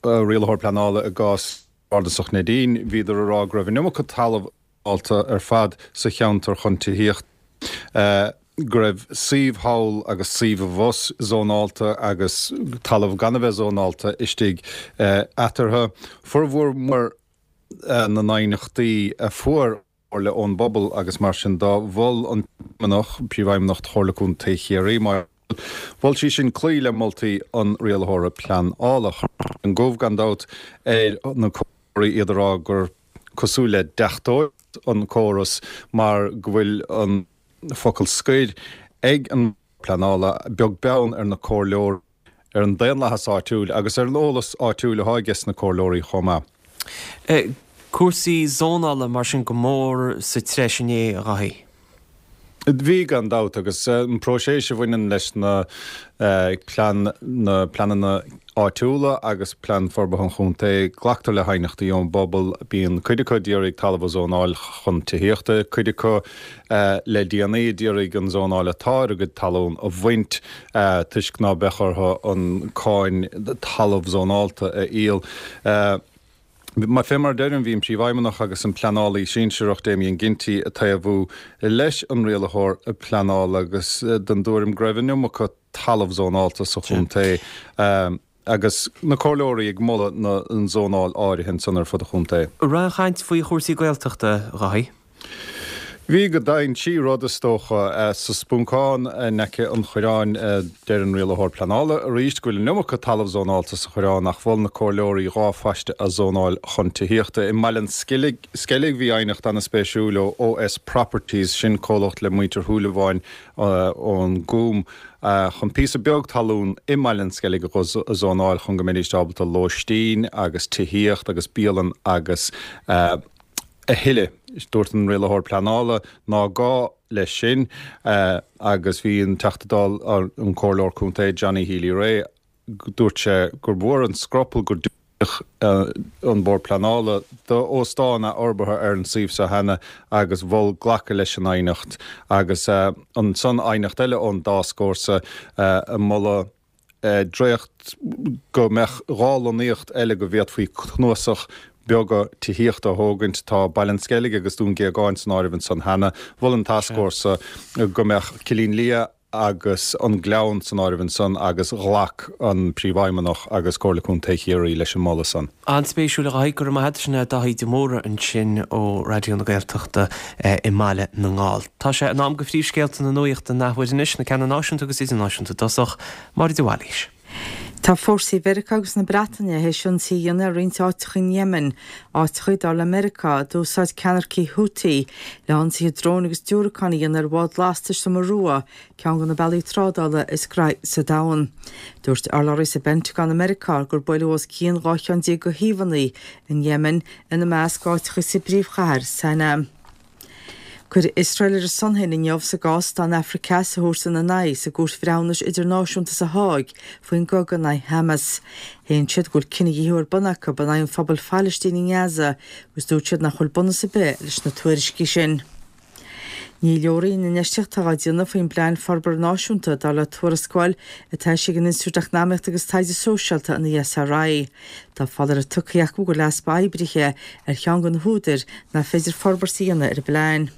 Rialaitheoir Pleanála i gcás Bardasach Neidín, bhíodar ag rá go raibh an iomarca talamh zónálta ar fad sa cheantar chun tithíocht, go raibh suíomh thall agus suíomh abhus zónálta agus talamh gan a bheith zónálta istigh eatarthu. Formhór mór na n-aighneachtaí a fuair an Chomhairle ón bpobal agus mar sin de mhol an Príomhfheidhmeannach, Príomhfheidhmeannach Chomhairle Contae Chiarraí, Máire Mhol sí sin cloí le moltaí an Rialaitheora Pleanála. Chuir an gomh gan dabht ar na comhairleoirí iad ag rá gur cosúil le deachtóireacht an córas mar go bhfuil an focal scoir ag an pleanála, beag beann ar na comhairleoirí, ar an daonlathas áitiúil agus ar an eolas áitiúil atá aige sna comhairleoirí chomh maith. Cúrsaí zónála mar sin go mór sa treis inné, a Dháithí. Bhí, gan dabht, agus an próiseas a bhaineann leis na plean, na pleananna áitiúla agus Plean Forbartha an Chontae, glactar le haighneachtaí ón bpobal, bíonn cuid acu d'iarraidh talamh a zónáil chun tithíochta, cuid acu le déanaí d'iarraidh an zónáil atá ar a gcuid talún a bhaint toisc ná beadh orthu an cáin talamh zónálta a íoc. Fé mar a deirim, bhí an Príomhfheidhmeannach agus an Pleanálaí Sinsearach, Damien Ginty, ag taobhú leis an Rialaitheoir Pleanála agus den dtuairim go raibh an iomarca talamh zónálta sa chontae agus na comhairleoirí ag moladh an zónáil áirithe ansan ar fud an chontae. An raibh aon chaint faoi chúrsaí Gaeltachta, a Dhaithí? Bhí go deimhin, trí rud is dócha. Sa Spuncán in aice an Choireáin, deir an Rialaitheoir Pleanála arís go bhfuil an iomarca talamh zónálta sa Choireán ach mhol na comhairleoirí 2 phaiste a zónáil chun tithíochta. I mBaile an Sceilg bhí aighneacht an-spéisiúil ó OS Properties, sin comhlacht le muintir Shúilleabháin ón gCúm, chun píosa beag talún i mBaile an Sceilg a zónáil chun go mbeidís ábalta lóistín agus tithíocht agus bialann agus a thuilleadh. Dúirt an Rialaitheoir Pleanála ná gá leis sin agus bhí an Teachta Dála, an Comhairleoir Contae Johnny Healy-Rae, dúirt sé gur mhór an scrupall gur diúltaíodh an Bord Pleanála d'óstán athfhorbartha ar an suíomh seo cheana agus mhol glacadh leis an aighneacht agus ansan aighneacht eile ón dTascfhórsa ag moladh dréacht go mbeadh 2 lonnaíocht eile go bhféadfaí cnuasach beaga tithíochta a thógaint. Tá Baile an Sceilg agus Dún Géagáin san áireamh ansan cheana. Mhol an tascfhórsa go mbeadh Cillín Liath agus an Gleann san áireamh ansan agus ghlac an Príomhfheidhmeannach agus Comhairle Contae Chiarraí leis an moladh san. An-spéisiúil a Dhaithí, go raibh maith agat. Sin é Daithí de Mórdha ansin ó Raidió na Gaeltachta i mBaile na nGall. Tá sé in am do phríomhscéalta na nuachta an athuair anois, na ceanna náisiúnta agus idirnáisiúnta i dtosach. Máire de Bhailís. Tá fórsaí Mheiriceá agus na Breataine théis ionsaí a dhéanamh ar roinnt áiteacha in Yemen, áiteacha, dar le Meiriceá, a d'úsáid ceannaircigh Houthi le hionsaithe dróin agus diúracán a dhéanamh ar bhád lastais sa Muir Rua, ceann de na bealaí trádála is graithí sa domhan. Dúirt urlabhraí sa bPentagon i Meiriceá gur buaileadh os cionn 12 cheann de shuíomhanna in Yemen, ina measc áiteacha sa bpríomhchathair, Sanaa. Cuireadh Iosrael ar a son féin inniu sa gcás atá an Afraic Theas a thabhairt ina n-aghaidh sa gCúirt Bhreithiúnais Idirnáisiúnta sa Háig faoin gcogadh in aghaidh Hamas. Shéan siad go bhfuil cinedhíothú ar bun acu in aghaidh an phobail Phalaistínigh i nGaza agus dúirt siad nach bhfuil bunús ar bith leis na tuairiscí sin. Ní leor í an infheistíocht atá á déanamh faoin bPlean Forbartha Náisiúnta, dar le tuarascáil atá eisithe ag an Institiúid Eacnamaíochta agus Taighde Sóisialta, an ESRI. Tá foláireamh tugtha acu go bhfuil easpa oibrithe ar cheann de na húdair nach féidir forbairt a dhéanamh ar an bplean.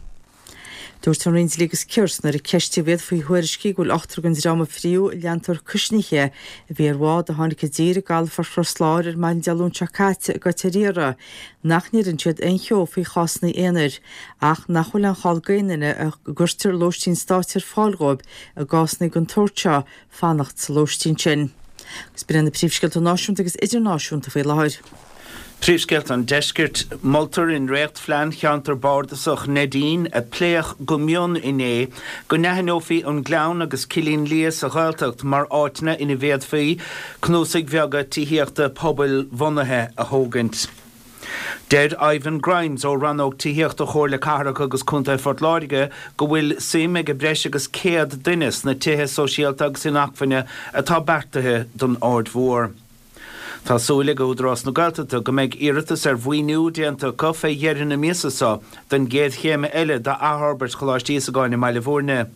Dúirt an Roinn Dlí agus Cirt nuair a ceistíodh iad faoi thuairiscí go bhfuil ochtar den dream a fríodh i leantóir cuisnithe a bhí ar bhád a tháinig i dtír i gcalafort Chros Láir ar maidin Dé Luain seo caite i gcoill ar iarraidh nach ndeireann siad aon cheo faoi chásanna aonair ach nach bhfuil aon chall d'aon duine a gcuirtear lóistín stáit ar fáil dhóibh i gcásanna den tsórt seo fanacht sa lóistín sin. Agus b'in iad na príomhscéalta náisiúnta agus idirnáisiúnta faoi láthair. Príomhscéalta an Deiscirt, Moltar i ndréachtphlean Cheantar Bardasach Neidín, a pléadh go mion inné, go n-aithneofaí an Gleann agus Cillín Liath sa Ghaeltacht mar áiteanna ina bhféadfaí cnuasaigh bheaga tithíochta pobail-bhunaithe a thógaint. Deir Ivan Grimes ó Rannóg Tithíochta Chomhairle Cathrach agus Contae Phort Láirge go bhfuil suim ag breis agus 100 duine sna tithe sóisialta agus inacmhainne atá beartaithe don Aird Mhór. Tá súil ag Údarás na Gaeltachta go mbeidh iarratas ar mhaoiniú déanta acu fé dheireadh na míosa seo don gcéad chéim eile d'athfhorbairt Choláiste Íosagáin i mBaile Bhúirne.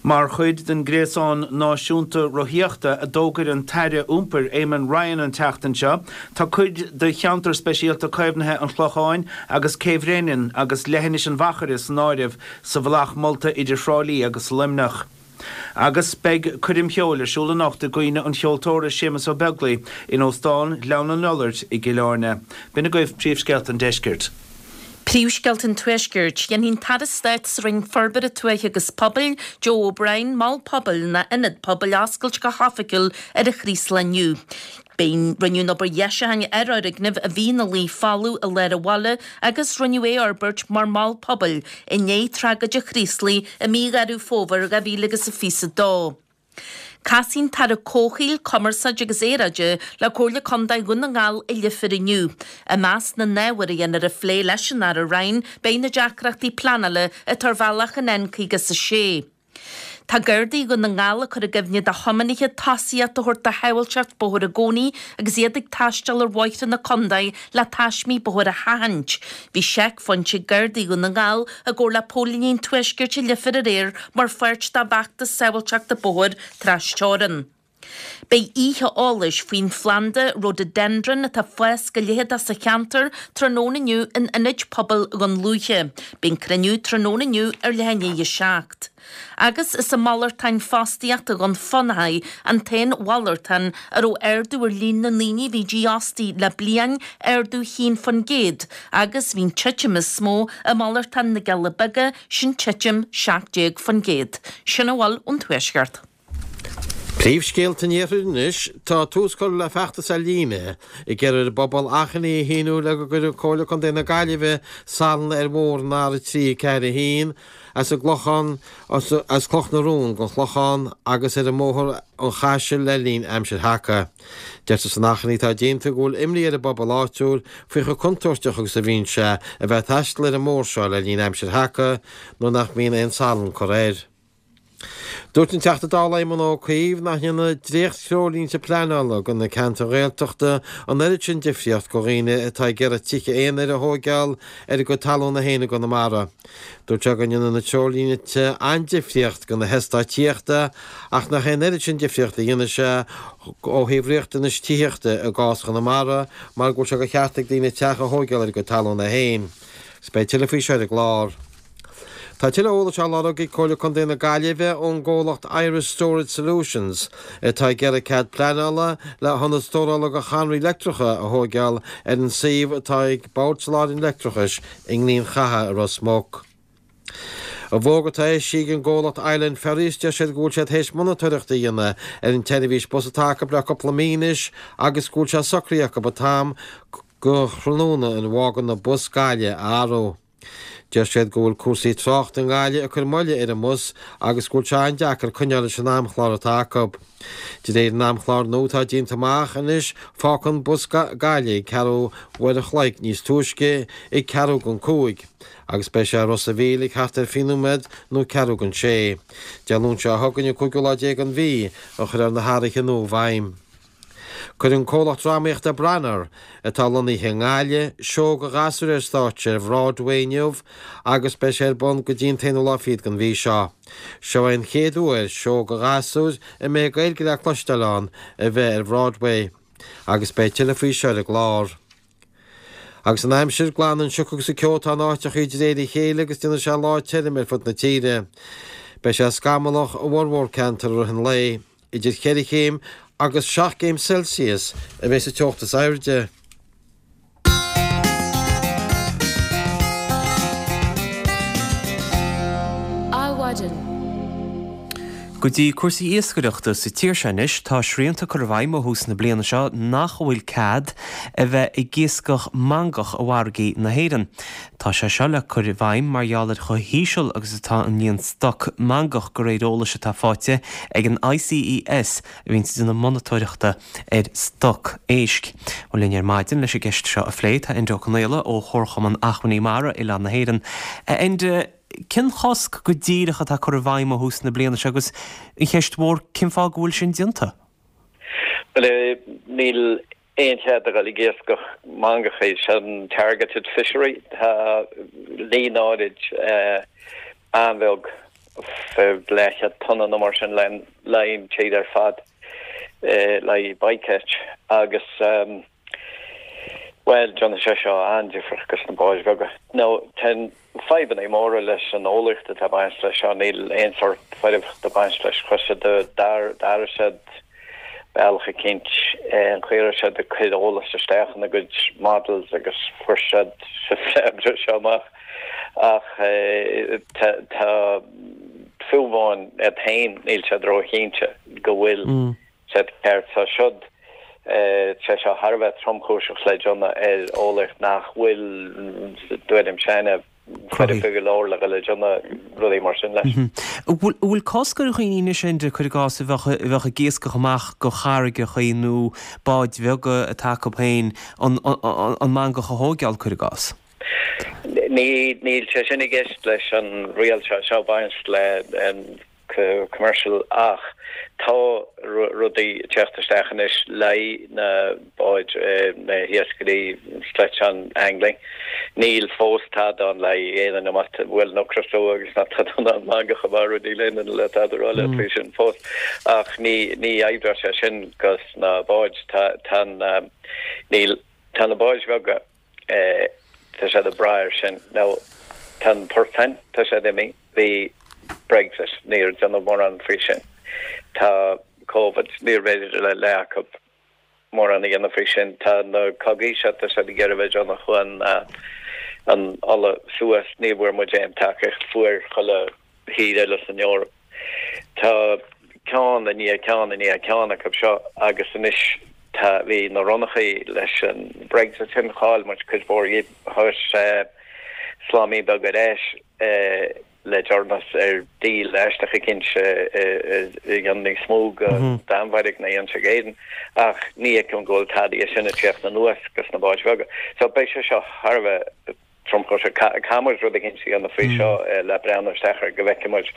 Mar chuid den Gréasán Náisiúnta Rothaíochta a d'fhógair an tAire Iompair Eamon Ryan an tseachtain seo, tá cuid de Cheantar Speisialta Caomhnaithe an Chlocháin agus Cé Bhréanainn agus Leithinis an Mhachaire san áireamh sa bhealach molta idir Thrá Lí agus Luimneach. Agus beidh coirm cheoil ar siúl anocht i gcuimhne an cheoltóra Séamus Ó Beaglaoi in Óstán Ghleann an Iolair i gCill Airne. B'in agaibh príomhscéalta an deiscirt. Príomhscéalta an Tuaiscirt. Déanfaidh an tAire Stáit sa Roinn Forbartha Tuaithe agus Pobail, Joe O'Brien, Mol Pobail nó Ionad Pobail a oscailt go hoifigiúil ar an Chraoslach inniu. Rinneadh an obair dheisiúcháin ar fhoirgneamh a bhí ina luí folamh i lár an bhaile agus rinneadh é a fhorbairt mar mhol pobail i ndiaidh tragóid an Chraoslaigh i mí Dheireadh Fómhair 2022. Casfaidh an tAire Comhshaoil, Cumarsáide agus Aeráide le Comhairle Contae Dhún na nGall i Leifear inniu. I measc na n-ábhar a dhéanfar a phlé leis an Aire Ryan beidh na deacrachtaí pleanála atá ar bhealach an N56. Tá Gardaí Dhún na nGall ag cur i gcuimhne do thiománaithe tosaíocht a thabhairt do shábháilteacht bóthair i gcónaí agus iad ag taisteal ar bhóithre na contae le taismí bóthair a sheachaint. Bhí seicphointe ag Gardaí Dhún na nGall i gcomhar le Póilíní an Tuaiscirt i Leifear aréir mar pháirt dá bhfeachtas sábháilteachta bóthair trasteorann. Beidh oíche eolais faoin phlanda Rhododendron atá ag fás go leitheadach sa cheantar tráthnóna inniu in Ionad Pobail Dhún Lúiche. Beidh an cruinniú tráthnóna inniu ar leath i ndiaidh a 7. Agus is an malartán fostaíochta Dhún Fionnachaidh an t-aon mhalartán a raibh ardú ar líon na ndaoine a bhí dífhostaithe le bliain, ardú 1%, agus bhí an titim is mó i malartán na gCealla Beaga, sin titim 17%. Sin a bhfuil ón Tuaisceart. Príomhscéalta an Iarthair anois, tá tús curtha le feachtas ar líne ag iarraidh ar an bpobal achainí a shíniú le go gcuirfidh Comhairle Contae na Gaillimhe salann ar bhóthar an R3 4 1 as an gClochán as Cloch na Rón don Chlochán agus ar an mBóthar an Chaisil le linn aimsir sheaca. Deirtear san achainí atá déanta go bhfuil imní ar an bpobal áitiúil faoi chomh contúirteach agus a bhíonn sé a bheith ag taisteal ar an mbóthar seo le linn aimsir sheaca nuair nach mbíonn aon salann curtha air. Dúirt an Teachta Dála Éamon Ó Cuív nach ndéanfaidh dréacht-threoirlínte pleanála do na ceantair Ghaeltachta an oiread sin difríocht do dhaoine atá ag iarraidh tithe aonair a thóigeáil ar a gcuid talúna féin i gConamara. Dúirt sé go ndéanfaidh na treoirlínte an-difríocht do na heastáit tithíochta ach nach é an oiread sin difríocht a dhéanfaidh sé ó thaobh riachtanais tithíochta i gcás Chonamara mar go bhfuil sé de cheart ag daoine teach a thóigeáil ar a gcuid talúna féin. Agus beidh tuilleadh faoi seo ar an gclár. Tá tuilleadh eolais á lorg ag Comhairle Contae na Gaillimhe ón gcomhlacht Irish Storage Solutions atá ag iarraidh cead pleanála le hionad stórála do chadhnraí leictreacha a thóigeáil ar an suíomh atá ag Bord Soláthair an Leictreachais i nGleann Chatha i Ros Muc. I bhfógra atá eisithe ag an gcomhlacht Island Ferries deir siad go bhfuil siad théis monatóireacht a dhéanamh ar an tseirbhís bus atá acu le cúpla mí anois agus go bhfuil sé socraithe acu an t-am go thráthnóna ina bhfágann an bus Gaillimh a athrú. Deir siad go bhfuil cúrsaí tráchta i nGaillimh ag cur moille ar an mbus agus go bhfuil sé an-deacair coinneáil leis an amchlár atá acu. De réir an amchláir nua atá déanta amach anois fágfaidh an bus Gaillimh ag ceathrú uair an chloig níos túisce ag ceathrú don chúig agus beidh sé i Ros a' Mhíl ag thart ar fiche nóiméad nó ceathrú don sé. Dé Luain seo chugainn an cúigiú lá déag den mhí a chuirfear na hathruithe nua i bhfeidhm. Cuirfidh an comhlacht drámaíochta Branar, atá lonnaithe i nGaillimh, seó do ghasúir ar stáitse ar Bhroadway inniu agus beidh sé ar bun go dtí an t-aonú lá fichead den mhí seo. Seo é an chéad uair seó do ghasúir a mbeidh Gaeilge le cloisteáil ann a bheith ar Bhroadway agus beidh tuilleadh faoi seo ar an gclár. Agus an aimsir, glanfaidh an sioc agus an ceo atá in áiteachaí de réir a chéile agus déanfaidh sé lá tirim ar fud na tíre. Beidh sé scamallach i bhformhór ceantar i rith an lae. Idir cheithre chéim agus seacht gcéim Celsius a bheidh sa teocht is airde. Adhmhaidin. Go dtí cúrsaí iascaireachta sa tír seo anois, tá srianta curtha i bhfeidhm ó thús na bliana seo nach bhfuil cead a bheith ag iascach mangach i bhfarraigí na hÉireann. Tá sé seo le cur i bhfeidhm mar gheall ar chomh híseal agus atá an líon stoc mangach de réir eolais atá faighte ag an ICES a bhíonns ag déanamh monatóireachta ar stoc éisc. Bhuel linn ar maidin leis an gceist seo a phlé tá Enda Ó Conaola ó Chomharchumann Acmhainní Mara Oileán na hÉireann. A Enda, cén chosc go díreach atá curtha i bhfeidhm ó thús na bliana seo agus an cheist mhór cén fáth go bhfuil sin déanta? Bhuel, níl aon chead a dhul ag iascach mangachaí, sin targeted fishery. Tá líon áirid an-bheag, leathchéad tonna nó mar sin le haghaidh an tír ar fad le haghaidh bycatch agus bhuel déanfaidh sé seo an-difríocht dos na báid bheaga. Now tá fadhbanna móra leis an eolaíocht atá ag baint leis seo, níl aon sórt foirfeacht ag baint leis. Chuir siad, d'athraigh siad bealach eicínt an chaoi a raibh siad ag cur eolas isteach ina gcuid models agus fuair siad sa freagra seo amach. Ach tá, tá, fiú amháin iad féin níl siad róchinnte go bhfuil siad ceart. So siod, sé seo thar a bheith tromchúiseach le déanamh ar eolaíocht nach bhfuil, i dtuairimse, foirfe go leor le dhul ag déanamh rudaí mar sin leis. An bhfuil cosc ar dhaoine anois, Enda, cuir i gcás, a bheadh ag iascach amach go carraigeachaí nó báid bheaga atá acu féin an mangach a thóigeáil, cuir i gcás? Níl sé sin i gceist leis an riail seo. Seo ag baint le. commercial ach tá rudaí ag teacht isteach anois le haghaidh na báid, na hiascairí sledge angling. Níl fós tada ann le haghaidh aon duine má bhuel nó crosú agus ná tada ann mangacha mara níl aon duine le tada a rá leat faoi sin fós ach ní ní oibreoidh sé sin dos na báid. Tá tá an níl tá na báid bheaga tá siad ag brath air sin. Now tá an portáin, tá siad imithe, bhí Brexit, níor déanadh mórán faoi sin. Tá Covid, níorbh fhéidir le leath acu mórán a dhéanamh faoi sin. Tá na cogaí seo, tá siad ag iarraidh bheith ag déanamh chun an ola suas, ní bhfuair muid aon tacaíocht, fuair chuile thír eile san Eoraip. Tá ceann i ndiaidh ceann i ndiaidh ceann acu seo agus anois tá, bhí na ronnachaí leis an Brexit sin, chaill muid cuid mhór dhíobh, chuir sé slámaí beag ar ais le deireanas ar deal aisteach eicínt a dhéanann níos mó don Danmhairg ná a dhéanann sé d'Éirinn ach ní fheicim go bhfuil tada dhe sin ag tíocht anuas dos na báid bheaga. So beidh sé seo thar a bheith tromchúiseach. Caithfidh muid rud eicínt a dhéanamh faoi seo le breathnú isteach air go bhfeicfidh muid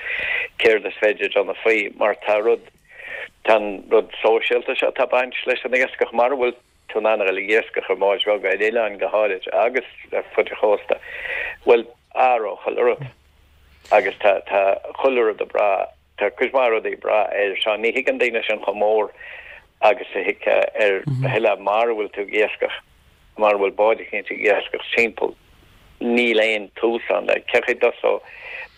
céard is féidir déanamh faoi mar tá rud, tá an rud sóisialta seo atá ag baint leis an iascach mara bhfuil tú in ann a dhul ag iascach ar bháid bheaga ar oileáin go háirid agus ar fud an chósta, bhuel athróidh chuile rud agus tá, tá chuile rud ag brath. Tá cuid mhaith rudaí ag brath air seo. Ní thuigeann daoine sin chomh mór agus a thuigfeá ar a thuilleadh mara bhfuil tú ag iascach, mara bhfuil bád eicínt ag iascach timpeall. Níl aon tús ann. Cé chaoi a dtosódh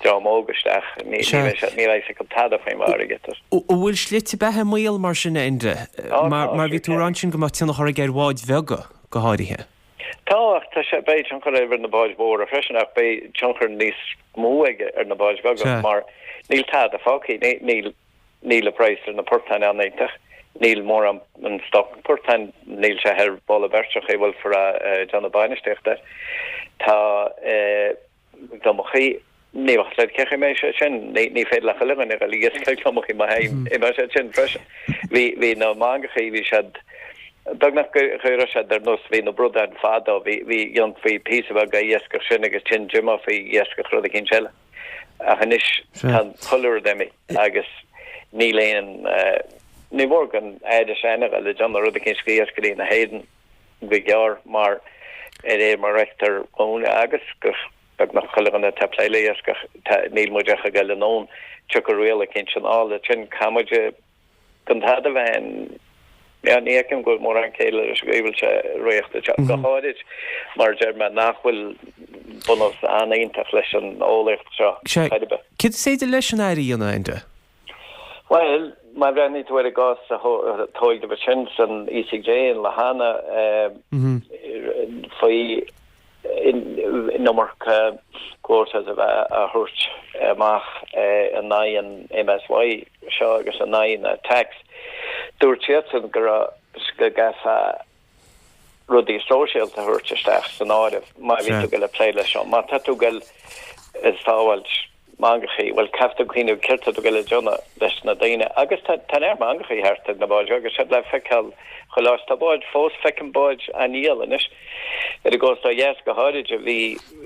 dream óg isteach? Ní bheidh siad, níl a fhios acu tada faoin bhfarraige. An bhfuil slite beatha i mbaol mar sin, a Enda? Mar bhí tú ag rá ansin go mbeadh tionchar aige ar bháid bheaga go háirithe. Tá, ach tá sé, beidh tionchar air ar na báid mhóra freisin, ach beidh tionchar níos mó aige ar na báid bheaga mar níl tada fágtha, níl, níl an praghas ar na portáin an-iontach, níl mórán an stoc portáin, níl sé thar mholadh beirte an chaoi a bhfuiltear ag déanamh bainistíocht air. Tá. Gliomachaí, ní bheadh le cén chaoi a mbeidh sé sin, ní féidir le chuile dhuine a dhul ag iascach gliomachaí má imeoidh siad sin freisin. Bhí, bhí na mangachaí, bhí siad, beagnach go raibh siad ar nós, bhí na bradáin fadó, bhí, bhí, dhéanfaí píosa beag a iascach sin agus ansin d'imeofaí ag iascach rud eicínt eile. Ach anois tá chuile rud imithe agus níl aon, ní mór don Aire sin a dhul ag déanamh rud eicínt do iascairí na hÉireann. go gearr mar ar réir mar a fheictear dhúinn agus go beagnach chuile dhuine atá ag plé le iascach, níl muid ach ag dul anonn, tiocfaidh riail eicínt anall ansin caithfidh muid gan tada a bheith in yeah, ní fheicim go bhfuil mórán céille leis an gcaoi a bhfuil sé réachtaithe seo, go háirid mar a deir mé nach bhfuil bunús an-iontach leis an eolaíocht seo Sea, chor ar bith. céard is féidir leis an Aire a dhéanamh, Enda? Bhuel, má bhreathnaíonn tú ar an gcás a tóigeadh ansin san ECJ in Lahana faoi an iomarca quotas a bheith á thabhairt amach in aghaidh an MSY seo agus in aghaidh na tax, dúirt siadsan go raibh, go gcaithfeá rudaí sóisialta a thabhairt isteach san áireamh má bhí tú ag dul ag plé leis seo. Má tá tú ag dul ag sábháilt mangachaí, bhuel, caithfidh tú cuimhneamh céard tá tú ag dul a déanamh leis na daoine. Agus tá tá neart mangachaí thart ar na báid agus siad le feiceáil chuile áit. Tá báid fós, feicim báid á ndíol anois ar an gcósta ó dheas go háirid a bhí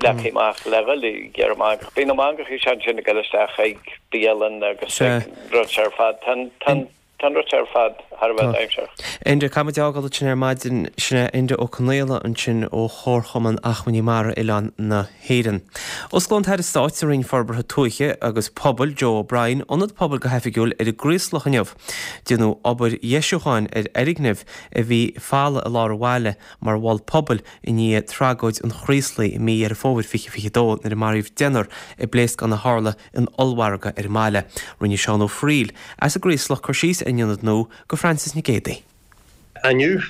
leagtha amach le dhul ag iarraidh mangach. Bhí na mangachaí seo ansin ag dul isteach ag bialann agus ag rud seo ar fad. Tá tá Tá an rud seo ar fad thar a bheith dainséarach. Enda, caithfidh muid a fhágáil ansin ar maidin. Sin é Enda Ó Conaola ansin ó Chomharchumann Achmhainní Mara Oileáin na hÉireann. Osclóidh an tAire Stáit sa Roinn Forbartha Tuaithe agus Pobail, Joe O'Brien, Ionad Pobail go hoifigiúil ar an gCraoslach inniu. Déanadh obair dheisiúcháin ar fhoirgneamh a bhí folamh i lár an bhaile mar mhol pobail i ndiaidh tragóid an Chraoslaigh i mí Dheireadh Fómhair 2022 nuair a maraíodh deichniúr i bpléascán a tharla in ollmhargadh ar an mbaile. Rinne Seán Ó Fearghail, as an gCraoslach, cur síos ar an ionad nua go Frances Nic Géadaigh. Inniu,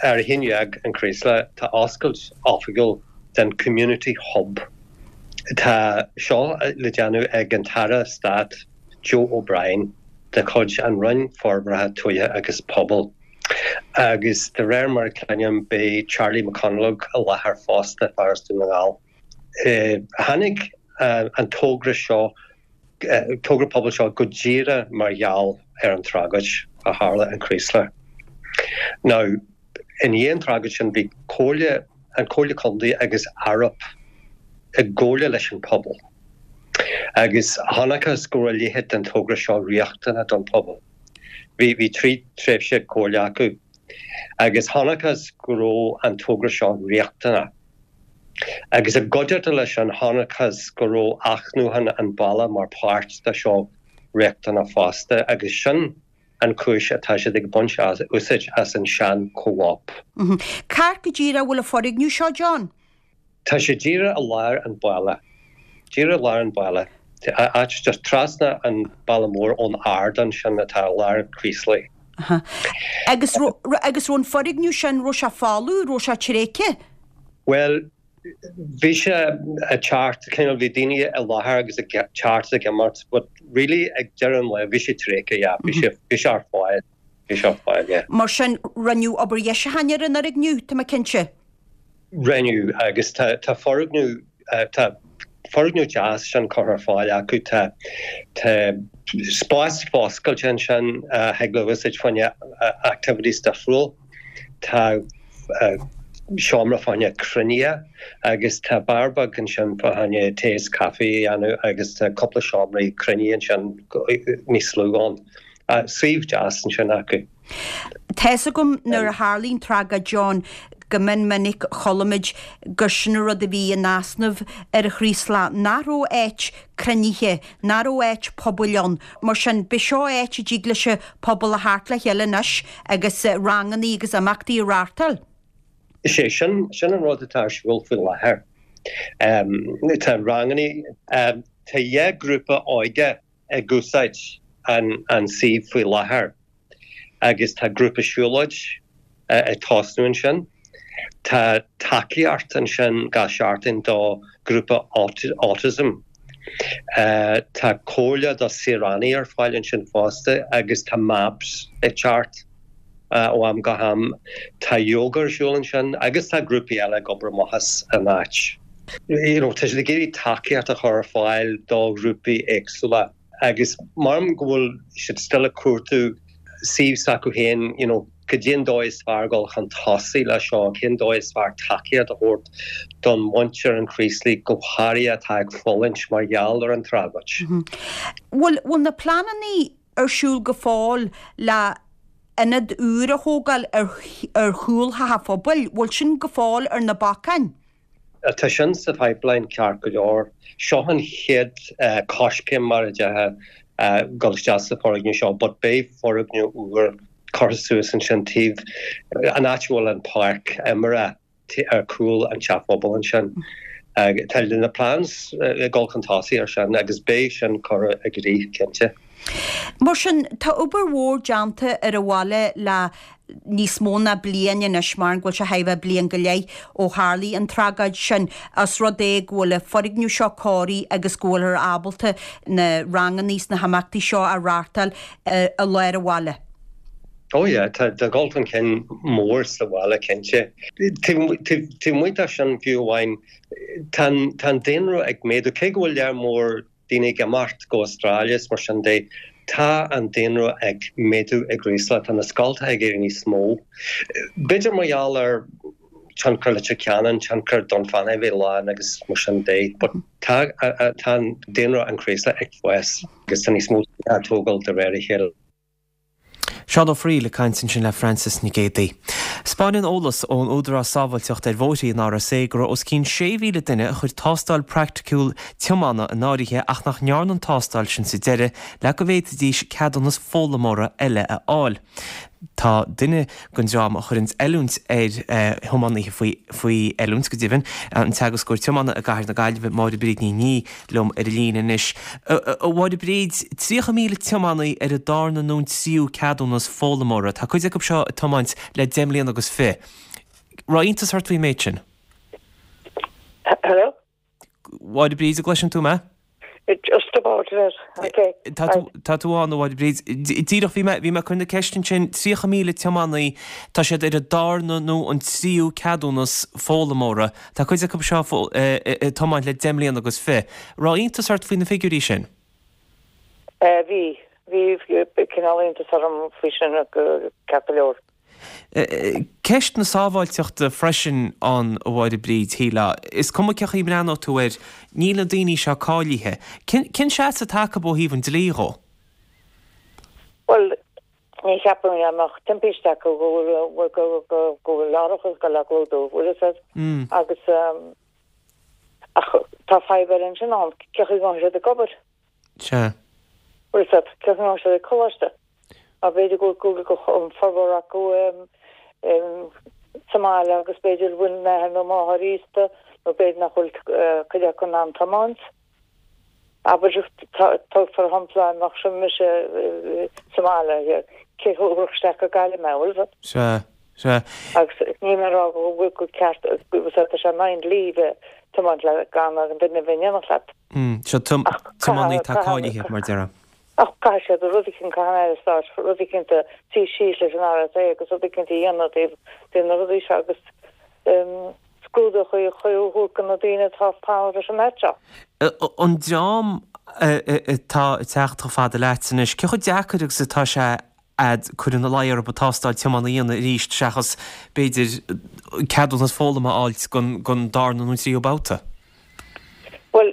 ar 11 an Craoslach, tá oscailt oifigiúil den Community Hub. Tá seo le déanamh ag an tAire Stáit Joe O'Brien de chuid an Roinn Forbartha Tuaithe agus Pobail. Agus de réir mar a cluinim beidh Charlie McConalogue i láthair fosta, fear as Dún na nGall. Tháinig an togra seo, togra pobail seo go díreach mar gheall ar an tragóid a tharla in Craoslach. Now, i ndiaidh an tragóid sin bhí comhairle, an Comhairle Contae agus Arup i gcomhairle leis an pobal. Agus chonacthas go raibh a leithéid den togra seo riachtanach don phobal. Bhí bhí 3 tréimhse comhairle acu agus chonacthas go raibh an togra seo riachtanach. Agus i gcuideachta leis sin chonacthas go raibh athnuachan an bhaile mar páirt de seo riachtanach fosta agus sin an chúis atá siad ag baint úsáid as an sean Co-op. Cá háit go díreach a bhfuil an foirgneamh seo, John? Tá sé díreach i lár an bhaile. Díreach i lár an bhaile. Áit just trasna an bealach mór ón ardán sin atá i lár an Chraoslaigh. Agus agus raibh an foirgneamh sin, raibh sé folamh, raibh sé tréigthe? Bhuel, bhí sé ag teacht, cineál, bhí daoine i láthair agus ag teacht is ag imeacht, but really ag deireadh an lae bhí sé tréigthe, yeah, bhí sé, bhí sé ar fáil, bhí sé ar fáil, yeah. Mar sin, rinneadh obair dheisiúcháin ar an fhoirgneamh, tá mé cinnte. Rinneadh, agus tá, tá foirgneamh, tá foirgneamh deas sin curtha ar fáil acu, tá, tá spás foscailte ansin a thig le úsáid fá choinne activities difriúil, tá seomra fá choinne cruinnithe agus tá beár beag ansin fá choinne tae is caife a dhéanamh agus tá cúpla seomraí cruinnithe ansin níos lú ann. Suíomh deas ansin acu. Tá's agam nuair a tharlaigh an tragóid John go mion minic chuala muid gur sin an rud a bhí in easnamh ar an Chraoslach, nach raibh áit cruinnithe, nach raibh áit pobail ann. Mar sin, b'é seo áit a dtig leis an pobal a theacht le chéile anois agus rangannaí agus imeachtaí a reáchtáil. Is é sin, sin an rud atá ar siúl faoi láthair. Tá rangannaí, tá 2 grúpa óige ag úsáid an suíomh faoi láthair agus tá grúpa siúlóid ag tosnú ansin. Tá tacaíocht ansin gach seachtain do ghrúpa autism. Tá comhairle do saoránaigh ar fáil ansin fosta agus tá MABS ag teacht ó am go ham. Tá yoga ar siúl ansin agus tá grúpaí eile ag obair amach as an áit. You know, tá siad ag iarraidh tacaíocht a chur ar fáil do ghrúpaí éagsúla agus maram go bhfuil siad still ag cuartú suíomh s'acu féin, you know, cad é an dóigh is fearr dul chun tosaigh le seo, cén dóigh is fearr tacaíocht a thabhairt don mhuintir an Chraoslaigh go háirithe atá ag fulaingt mar gheall ar an tragóid. Bhfuil, bhfuil na pleanannaí ar siúl go fóill le ionad úr a thógáil ar ar chúl theach an phobail, bhfuil sin go fóill ar na bacáin? Tá sin sa pipeline ceart go leor. Seo an chéad coiscéim mar a déarfá dul isteach sa foirgneamh seo but beidh foirgneamh úr curtha suas ansin taobh an áit a bhfuil an páirc imeartha ar cúl an teach phobail ansin. Tá na plans ag dul chun tosaigh ar sin agus beidh sin curtha i gcrích cinnte. Mar sin, tá obair mhór déanta ar an bhaile le níos mó ná bliain anois, mar go bhfuil sé thar a bheith bliain go leith ó tharlaigh an tragóid sin, os rud é go bhfuil an foirgneamh seo cóirithe agus go bhfuilthear ábalta na rangannaí is na himeachtaí seo a reáchtáil i lár an bhaile. Oh yeah, tá dul chun cinn mór sa bhaile cinnte. Taobh amuigh de sin fiú amháin, tá an daonra ag méadú, cé go bhfuil lear mór daoine ag imeacht go Australia is mar sin de, tá an daonra ag méadú i gCraoslach, tá na scoltacha ag éirí níos mó. B'fhéidir mar gheall ar tionchar Leitir Ceanainn, tionchar Dún Fanaidh a bheith lán agus mar sin de, but tá tá an daonra an Chraoslaigh ag fás agus tá níos mó tithe á tógáil de réir a chéile. Seán Ó Fearghaíl ag caint ansin le Frances Nic Géadaigh. 'Spáineann eolas ón Údarás Sábháilteachta ar Bhóithre, an RSA, go raibh os cionn 6,000 duine a chuir tástáil praiticiúil tiomána in áirithe ach nach ndearna an tástáil sin sa deireadh le go bhféadfaidís ceadúnas foghlaimeora eile a fháil. Tá duine den dream a chuireanns oiliúint ar thiománaithe faoi faoi oiliúint, go deimhin, an teagascóir tiomána i gcathair na Gaillimhe, Máire Bríd Ní Niadh, liom ar an líne anois. A Mháire Bríd, 30,000 tiománaí ar an darna nó an tríú ceadúnas foghlaimeora. Tá cuid acu seo ag tiomáint le deich mbliana agus fi. Raibh iontas ort faoin méid sin? Hello? Mháire Bríd, an gcloiseann tú mé? Just about it. Okay. Tá tú, tá tú ann, a Mháire Bríd. Díreach, bhí mé, bhí mé ag cur na ceiste ansin, 30,000 tiománaí, tá siad ar an darna nó an tríú ceadúnas foghlaimeora. Tá cuid acu seo ag tiomáint le deich mbliana agus fi. Raibh iontas ort faoi na figiúirí sin? Bhí. Bhí cineál iontas orm faoi sin, ceart go leor. Ceist na sábháilteachta freisin ann, a Mháire Bríd, shílfeá. Is cuma cén chaoi a mbreathnóidh tú air, níl na daoine seo cáilithe. Cén seasamh atá acu ó thaobh an dlí dhó? Bhuel, ní cheapaim dá mbeadh timpiste acu go bhfuil go bhfuil árachas ag dul á gclúdú, bhfuil fhios a'd? Agus ach tá fadhb eile ansin ann, cén chaoi a ngabhfaidh siad ag obair? Sea. Bhfuil fhios a'd, cén chaoi a ngabhfaidh siad ag coláiste? Mar b'fhéidir go bhfuil an formhór acu sa mbaile agus b'fhéidir go bhfuil an athair nó máthair aosta nó b'fhéidir nach bhfuil cuid acu in ann tiomáint. Abair, tóg for shampla, mbeadh sin mise sa mbaile, cé a thabharfadh isteach go Gaillimh mé, bhfuil fhios a'd? Sea, sea. Agus níl mé ag rá go bhfuil go ceart, bhfuil fhios a'd, tá sé in aghaidh an dlí bheith tiomáint le gan an duine a bheith in éineacht leat. Seo tiománaí atá cáilithe, mar déarfá. Ach caithfidh siad rud eicínt, caithfidh an Aire Stáit rud eicínt a suí síos leis an RSA agus rud eicínt a dhéanamh i dtaobh de na rudaí seo agus scrúdú a thabhairt do na daoine atá ag fanacht leis an áit seo. An dream atá ag teacht chomh fada leat anois, cé chomh deacair agus atá sé a'd cur ina luí orthu tástáil tiomána a dhéanamh arís seachas, b'fhéidir, ceadúnas foghlama a fháilt don darna nó tríú babhta? Bhuel,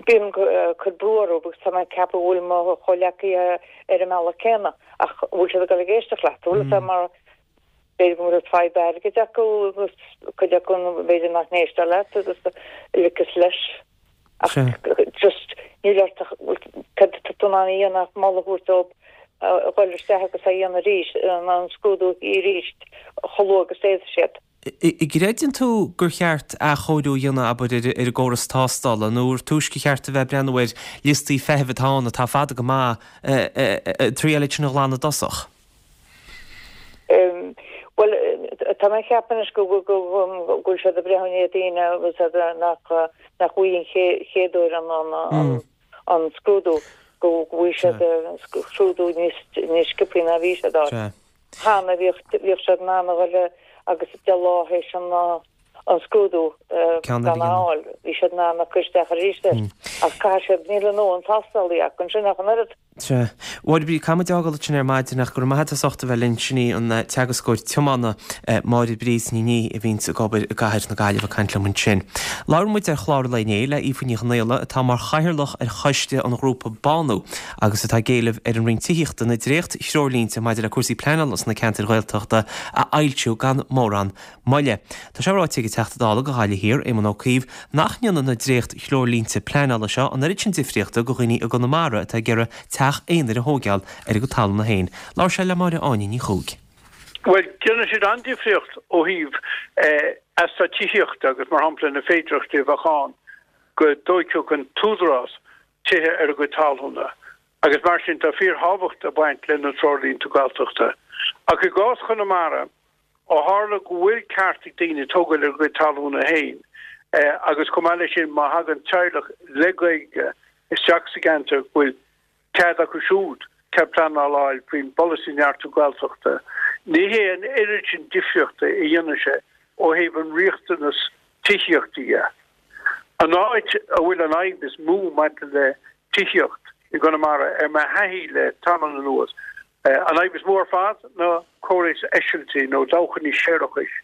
bím ag cur brú orthu agus tá mé ag ceapadh go bhfuil mo chomhleacaithe ar an mbealach céanna ach an bhfuil siad ag dul ag éisteacht leat, bhfuil fhios a'd, mar b'fhéidir go bhfuil fadhb airgid acu agus cuid acu b'fhéidir nach n-éistear leat agus like is leis ach just níl ort ach cad tá tú in ann a dhéanamh ach moladh a thabhairt dóibh a dhul isteach agus a dhéanamh arís, an scrúdú arís chomh luath agus d'fhéadfaidh siad. An gcreideann tú gur cheart athchóiriú a dhéanamh, abair, ar an gcóras tástála, nó ar túisce cheart a bheith ag breathnú ar liostaí feithimh atá ann atá fada go maith, triail iad sin a ghlanadh i dtosach? Bhuel, tá mé ag ceapadh anois go bhfuil siad ag breathnú ar daoine agus nach bhfaighidh an chéad uair an scrúdú, go bhfaighidh siad an scrúdú níos sciobthaí ná bhí siad á fháil. Cheana, bhíodh siad in ann a dhul agus 10 lá théis an scrúdú gan a fháil, bhí siad in ann a cur isteach arís air. Ach caithfidh siad, níl a ndóthain tástálaí acu ansin ach an oiread. Sea. Mháire Bríd, caithfidh muid fhágáil ansin ar maidin ach go raibh maith agat as ucht a bheith linn. Sin í an teagascóir tiomána, Máire Bríd Ní Niadh, a bhíonns ag obair i gcathair na Gaillimhe ag caint liom ansin. Labhair muid ar chlár an lae inné le Aoife Ní Chonghaile atá mar chathaoirleach ar choiste an ghrúpa Bánú agus atá ag éileamh ar an Roinn Tithíochta na dréacht-threoirlínte maidir le cúrsaí pleanála sna ceantair Ghaeltachta a fhoilsiú gan mórán moille. Tá sé ráite ag an Teachta Dála do Ghaillimh Thiar, Éamon Ó Cuív, nach ndéanann na dréacht-threoirlínte pleanála seo an oiread sin difríochta do dhaoine i gConamara atá ag iarraidh teach aonair a thóigeáil ar a gcuid talúna féin. Labhair sé le Máire Áine Ní Chuaig. Bhuel, déanann siad an-difríocht ó thaobh eastát tithíochta agus, mar shampla, na féidearthachtaí a bheadh ann go dtóigfeadh an t-údarás tithe ar a gcuid talúna agus mar sin tá fíorthábhacht ag baint le na treoirlínte Gaeltachta. Ach i gcás Chonamara, ó tharla go bhfuil ceart ag daoine tógáil ar a gcuid talúna féin agus chomh maith leis sin má thagann teaghlach le Gaeilge isteach sa gceantar go bhfuil cead acu siúd cead pleanála a fháil faoin bpolasaí Neartú Gaeltachta, ní hé an oiread sin difríochta a dhéanann sé ó thaobh an riachtanas tithíochta dhe. An áit a bhfuil an fhadhb is mó maidir le tithíocht i gConamara, ar mo thaithí le tamall anuas, an fhadhb is mó ar fad ná córas eisiltí nó dabhchanna séarachais,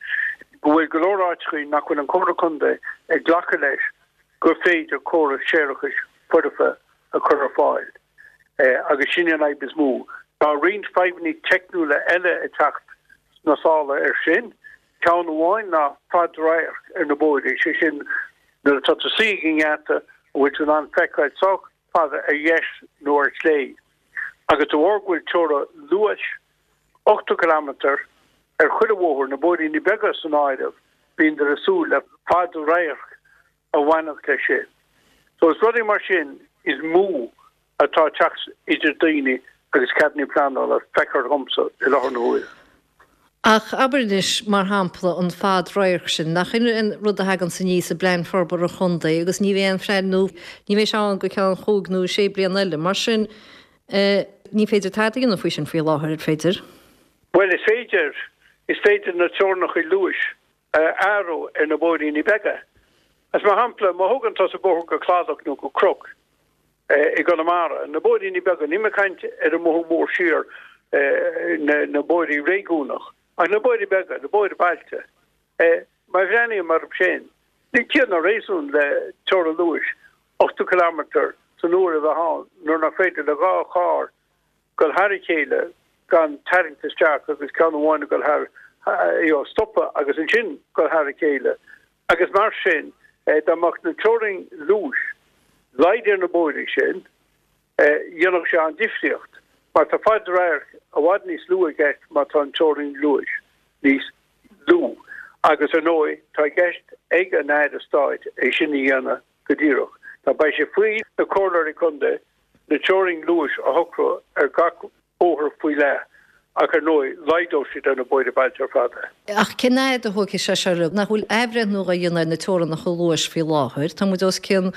go bhfuil go leor áiteachaí nach bhfuil an Comhairle Contae ag glacadh leis gur féidir córas séarachais foirfe a chur ar fáil agus sin an fhadhb is mó. Tá roinnt fadhbanna teicniúla eile ag teacht sna sála air sin. Ceann amháin ná fad radhairc ar na bóithre, sé sin nuair atá tú suí ag an ngeata an bhfuil tú in ann feiceáil sách fada ar dheis nó ar chlé. Agus de bharr go bhfuil teorainn luais 80 kilometre ar chuile bhóthar, na bóithríní beaga san áireamh, bíonn ag súil le fad radhairc a bhainfeadh leis sin. So is rudaí mar sin is mó atá ag teacht idir daoine agus ceadanna pleanála, feictear dhomsa i láthair na huaire. Ach abair anois, mar shampla, an fad radhairc sin, nach in an rud a thaganns aníos i bPlean Forbartha Chontae agus ní bheidh aon phlean nó ní bheidh sé ann go ceann chúig nó sé bliana eile. Mar sin, ní féidir tada a dhéanamh faoi sin faoi láthair, ar féidir? Bhuel, is féidir. Is féidir na teorainneacha luais a athrú ar na bóithríní beaga. As mar shampla, má thógann tusa bóthar go Cladach nó go Cnoc i gConamara, na bóithríní beaga, níl mé ag caint ar an mbóthar mór siar. na bóithrí réigiúnach, ach na bóithrí beaga, na bóithre bailte, má bhreathnaím orthu sin, níl ciall ná réasún le teorainn luais 80 kilometre san uair a bheith ann nuair nach féidir le 2 charr dul thar a chéile gan tarraingt isteach agus ceann amháin ag dul thar, you know, stopadh agus ansin dul thar a chéile. Agus mar sin, dá mbeadh na teorainn luais laghdaithe ar na bóithrí sin, dhéanfadh sé an-difríocht, mar tá fad radhairc i bhfad níos lú i gceist má tá an teorainn luais níos lú. Agus ar ndóigh, tá i gceist ag an Aire Stáit é sin a dhéanamh go díreach. Now beidh sé faoi na comhairleoirí contae na teorainn luais a shocrú ar gach bóthar faoi leith ach ar ndóigh laghdódh siad ar na bóithre bailte ar fad é. Ach cén fhad a thógfaidh sé seo? Nach bhfuil athbhreithniú á dhéanamh ar na teorannacha luais faoi láthair? Tá muid os cionn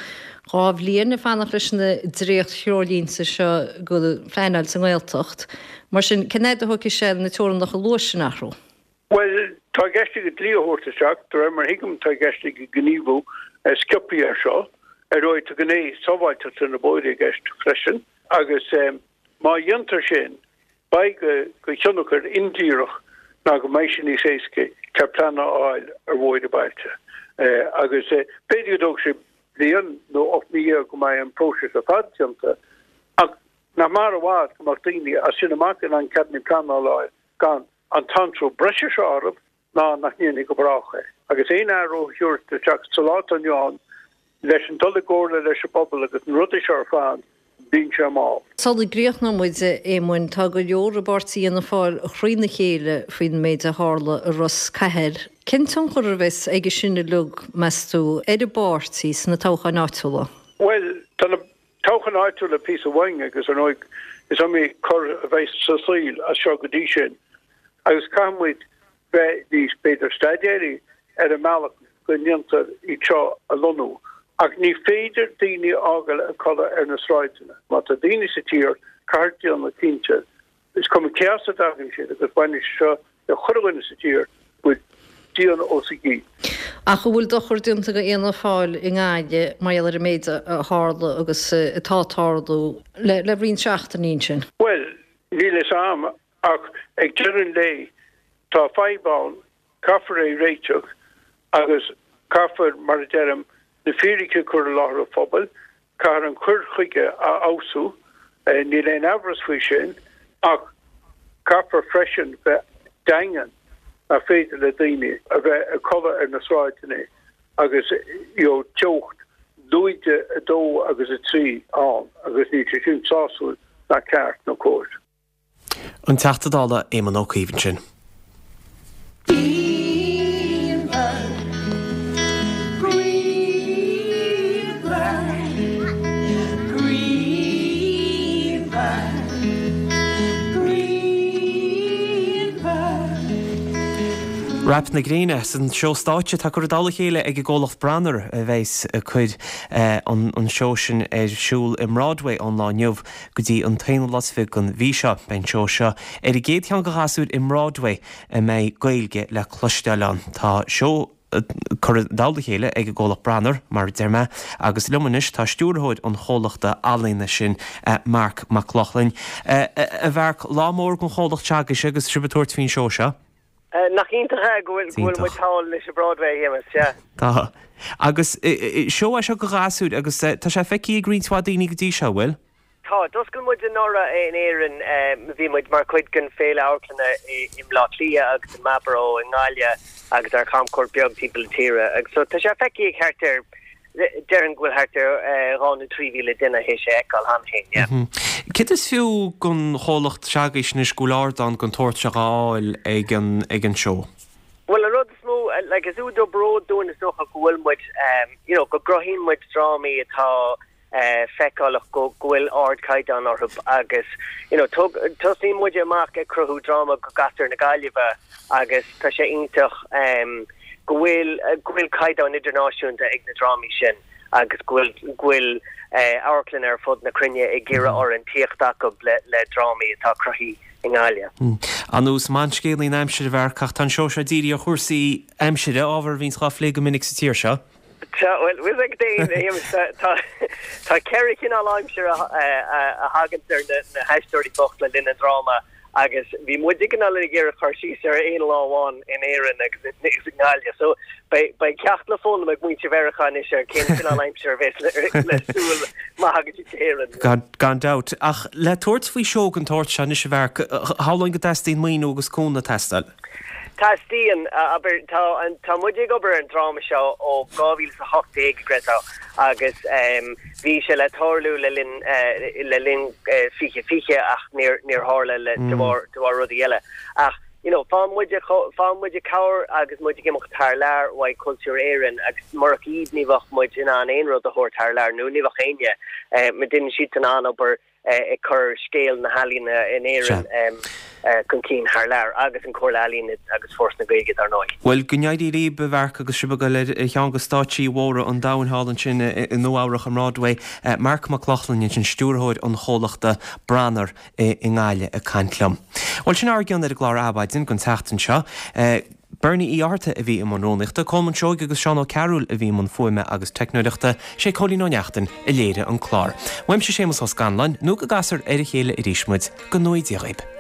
2 bhliain ag fanacht leis na dréacht-threoirlínte seo go phleanáil sa nGaeltacht. Mar sin, cén fhad a thógfaidh sé na teorannacha luais sin a athrú? Bhuel, tá i gceist aige dlí a thabhairt isteach, de réir mar a thuigim, tá i gceist aige gníomhú sciobthaí air seo. Ar ndóigh, tá gné sábháilteachta na bóithre i gceist freisin agus má dhéantar sin, beidh de thionchar indíreach ná go mbeidh sé níos éasca cead pleanála a fháil ar bhóithre bailte. Agus b'fhéidir go dtógfaidh sé bliain nó 18 mí go mbeidh an próiseas ar fad déanta ach nach mb'fhearr i bhfad go mbeadh daoine as sin amach in ann ceadanna pleanála a fháil gan an t-anró breise seo orthu ná nach ndéanfaí go brách é. Agus aon athrú a thabhairt isteach sa lá atá inniu ann, leis an dul i gcomhairle leis an bpobal agus na rudaí seo ar fad, bíonn sé mall. Sula gcríochnóidh muid, a Éamoinn, tá go leor i bpáirtí Fhianna Fáil thrína chéile faoin méid a tharla i Ros Cathair. Cén tionchar a bheas aige sin uilig, meas tú, ar an bpáirtí sna toghcháin áitiúla? Bhuel, tá na toghcháin áitiúla píosa uainn agus ar ndóigh is iomaí cor a bheidh sa saol as seo go dtí sin agus caithfidh muid bheith níos, b'fhéidir, staidéaraí ar an mbealach go ndéantar iad seo a lonnú. Ach ní féidir daoine a fhágáil ag codladh ar na sráideanna. Má tá daoine sa tír, caithfear déanamh cinnte, is cuma cé as a dtagann siad agus baineann sé seo le chuile dhuine sa tír, go bhfuil díon os a gcionn. Ach an bhfuil dochar déanta do Fhianna Fáil i nGaillimh mar gheall ar an méid a tharla agus atá ag tarlú le roinnt seachtainí ansin? Bhuel, níl fhios a'm ach ag deireadh an lae tá fadhb ann, caithfear é réiteach agus caithfear, mar a deirim, na fíricí a chur i láthair an phobail, caithfear an cur chuige a fheabhsú, níl aon amhras faoi sin, ach caithfear freisin bheith daingean nach féidir le daoine a bheith ag codladh ar na sráideanna agus you know teocht lúide 2 agus 3 ann agus níl sé sin sásúil ná ceart nó cóir. An Teachta Dála Éamon Ó Cuív ansin. Radharc na Gréine an seó stáitse atá curtha i dtoll a chéile ag an gcomhlacht Branar a bheas ag cur an seó sin ar siúl i mBroadway ón lá inniu. go dtí an t-aonú lá is fiche den mhí seo. Beidh an seó seo ar an gcéad cheann do ghasúir i mBroadway a mbeidh Gaeilge le cloisteáil ann. Tá seó curtha i dtoll a chéile ag an gcomhlacht Branar, mar a deir mé, agus liom anois tá stiúrthóir an chomhlachta ealaíona sin, Marc Mac Lochlainn. A Mharc, lá mór don chomhlacht s'agaibhse agus sibh ag tabhairt faoin seó seo. Nach iontach é go bhfuil muid thall anois i Broadway, a Shéamais, sea. Tá. Agus seó é seo do ghasúir agus tá sé feicthe ag roinnt mhaith daoine go dtí seo, an bhfuil? Tá. D'oscail muid anuraidh in Éirinn. Bhí muid mar chuid den Féile Amharclainne i mBleá Cliath agus i Marlborough i nGaillimh agus ar chamchuairt beag timpeall na tíre. Agus so tá sé feicthe ag thart ar Déarfainn go bhfuil thart ar 2,000 nó 3,000 duine théis é a fheiceáil cheana féin, yeah. Céard is fiú don chomhlacht s'agaibhse anois go bhfuil ardán den tsórt seo á fháil ag an ag an seó? Bhuel, an rud is mó, like, is údar bróid dúinn is dócha go bhfuil muid, you know, go gcruthaíonn muid drámaí atá feiceálach go go bhfuil ardchaighdeán orthu agus, you know, tosnaíonn muid amach ag cruthú dráma do ghasúir na Gaillimhe agus tá sé iontach go bhfuil go bhfuil caighdeán idirnáisiúnta ag na drámaí sin agus go bhfuil go bhfuil amharclanna ar fud na cruinne ag iarraidh orainn tíocht acu le le drámaí atá cruthaithe i nGaillimh. Ar nós mBanscéalaí na hAimsire a Mharc, ach tá an seó seo dírithe ar chúrsaí aimsire, ábhar a bhíonns dhá phlé go minic sa tír seo. Tá, bhuel, bhfuil ag daoine, tá tá ceithre chineál aimsire a thaganns ar na na haisteoirí bocht le linn an dráma. Agus bhí muid cineál ag iarraidh cur síos ar aon lá amháin in Éirinn agus i nGaillimh. So beidh ceacht le foghlaim ag muintir Mheiriceá anois ar cén cineál aimsire a bheas le súil má thagann siad go hÉirinn. Gan dabht. Ach le tabhairt faoi seó den tsórt seo anois a Mharc, shamhlóinn go dteastaíonn maoiniú agus cúnamh ag teastáil. Teastaíonn. Abair, tá, tá muid ag obair ar an dráma seo ó 2018, a Greta, agus bhí sé le tarlú le linn, le linn 2020 ach níor, níor tharla le, de bharr, de bharr rudaí eile. Ach, you know, faigheann muid, faigheann muid cabhair agus muid ag imeacht thar lear uaidh Cultúr Éireann agus murach iad ní bheadh muid in ann aon rud a thabhairt thar lear nó ní bheadh éinne, déanann siadsan an-obair ag cur scéal na healaíona in Éirinn chun cinn thar lear, agus an Chomhairle Ealaíon agus Foras na Gaeilge, dar ndóigh. Bhuel, go n-éirí libh, a Mharc, agus sibh ag dul ar cheann de stáitsí mhóra an domhain thall ansin i Nua-Eabhrac, i mBroadway. Marc Mac Lochlainn ansin, stiúrthóir an chomhlachta Branar i nGaillimh ag caint liom. Bhuel, sin ár gcion ar an gclár Adhmhaidin don tseachtain seo. Bernie Uí Fhátharta a bhí i mbun rúnaíochta, Colmán Seoighe agus Seán Ó Cearúil a bhí i mbun fuaime agus teicneoireachta, sé Cóilín Ó Neachtain a léirigh an clár. Uaimse Séamus Ó Scanláin, nó go gcasfar ar a chéile arís muid, go ngnóthaí Dia dhaoib.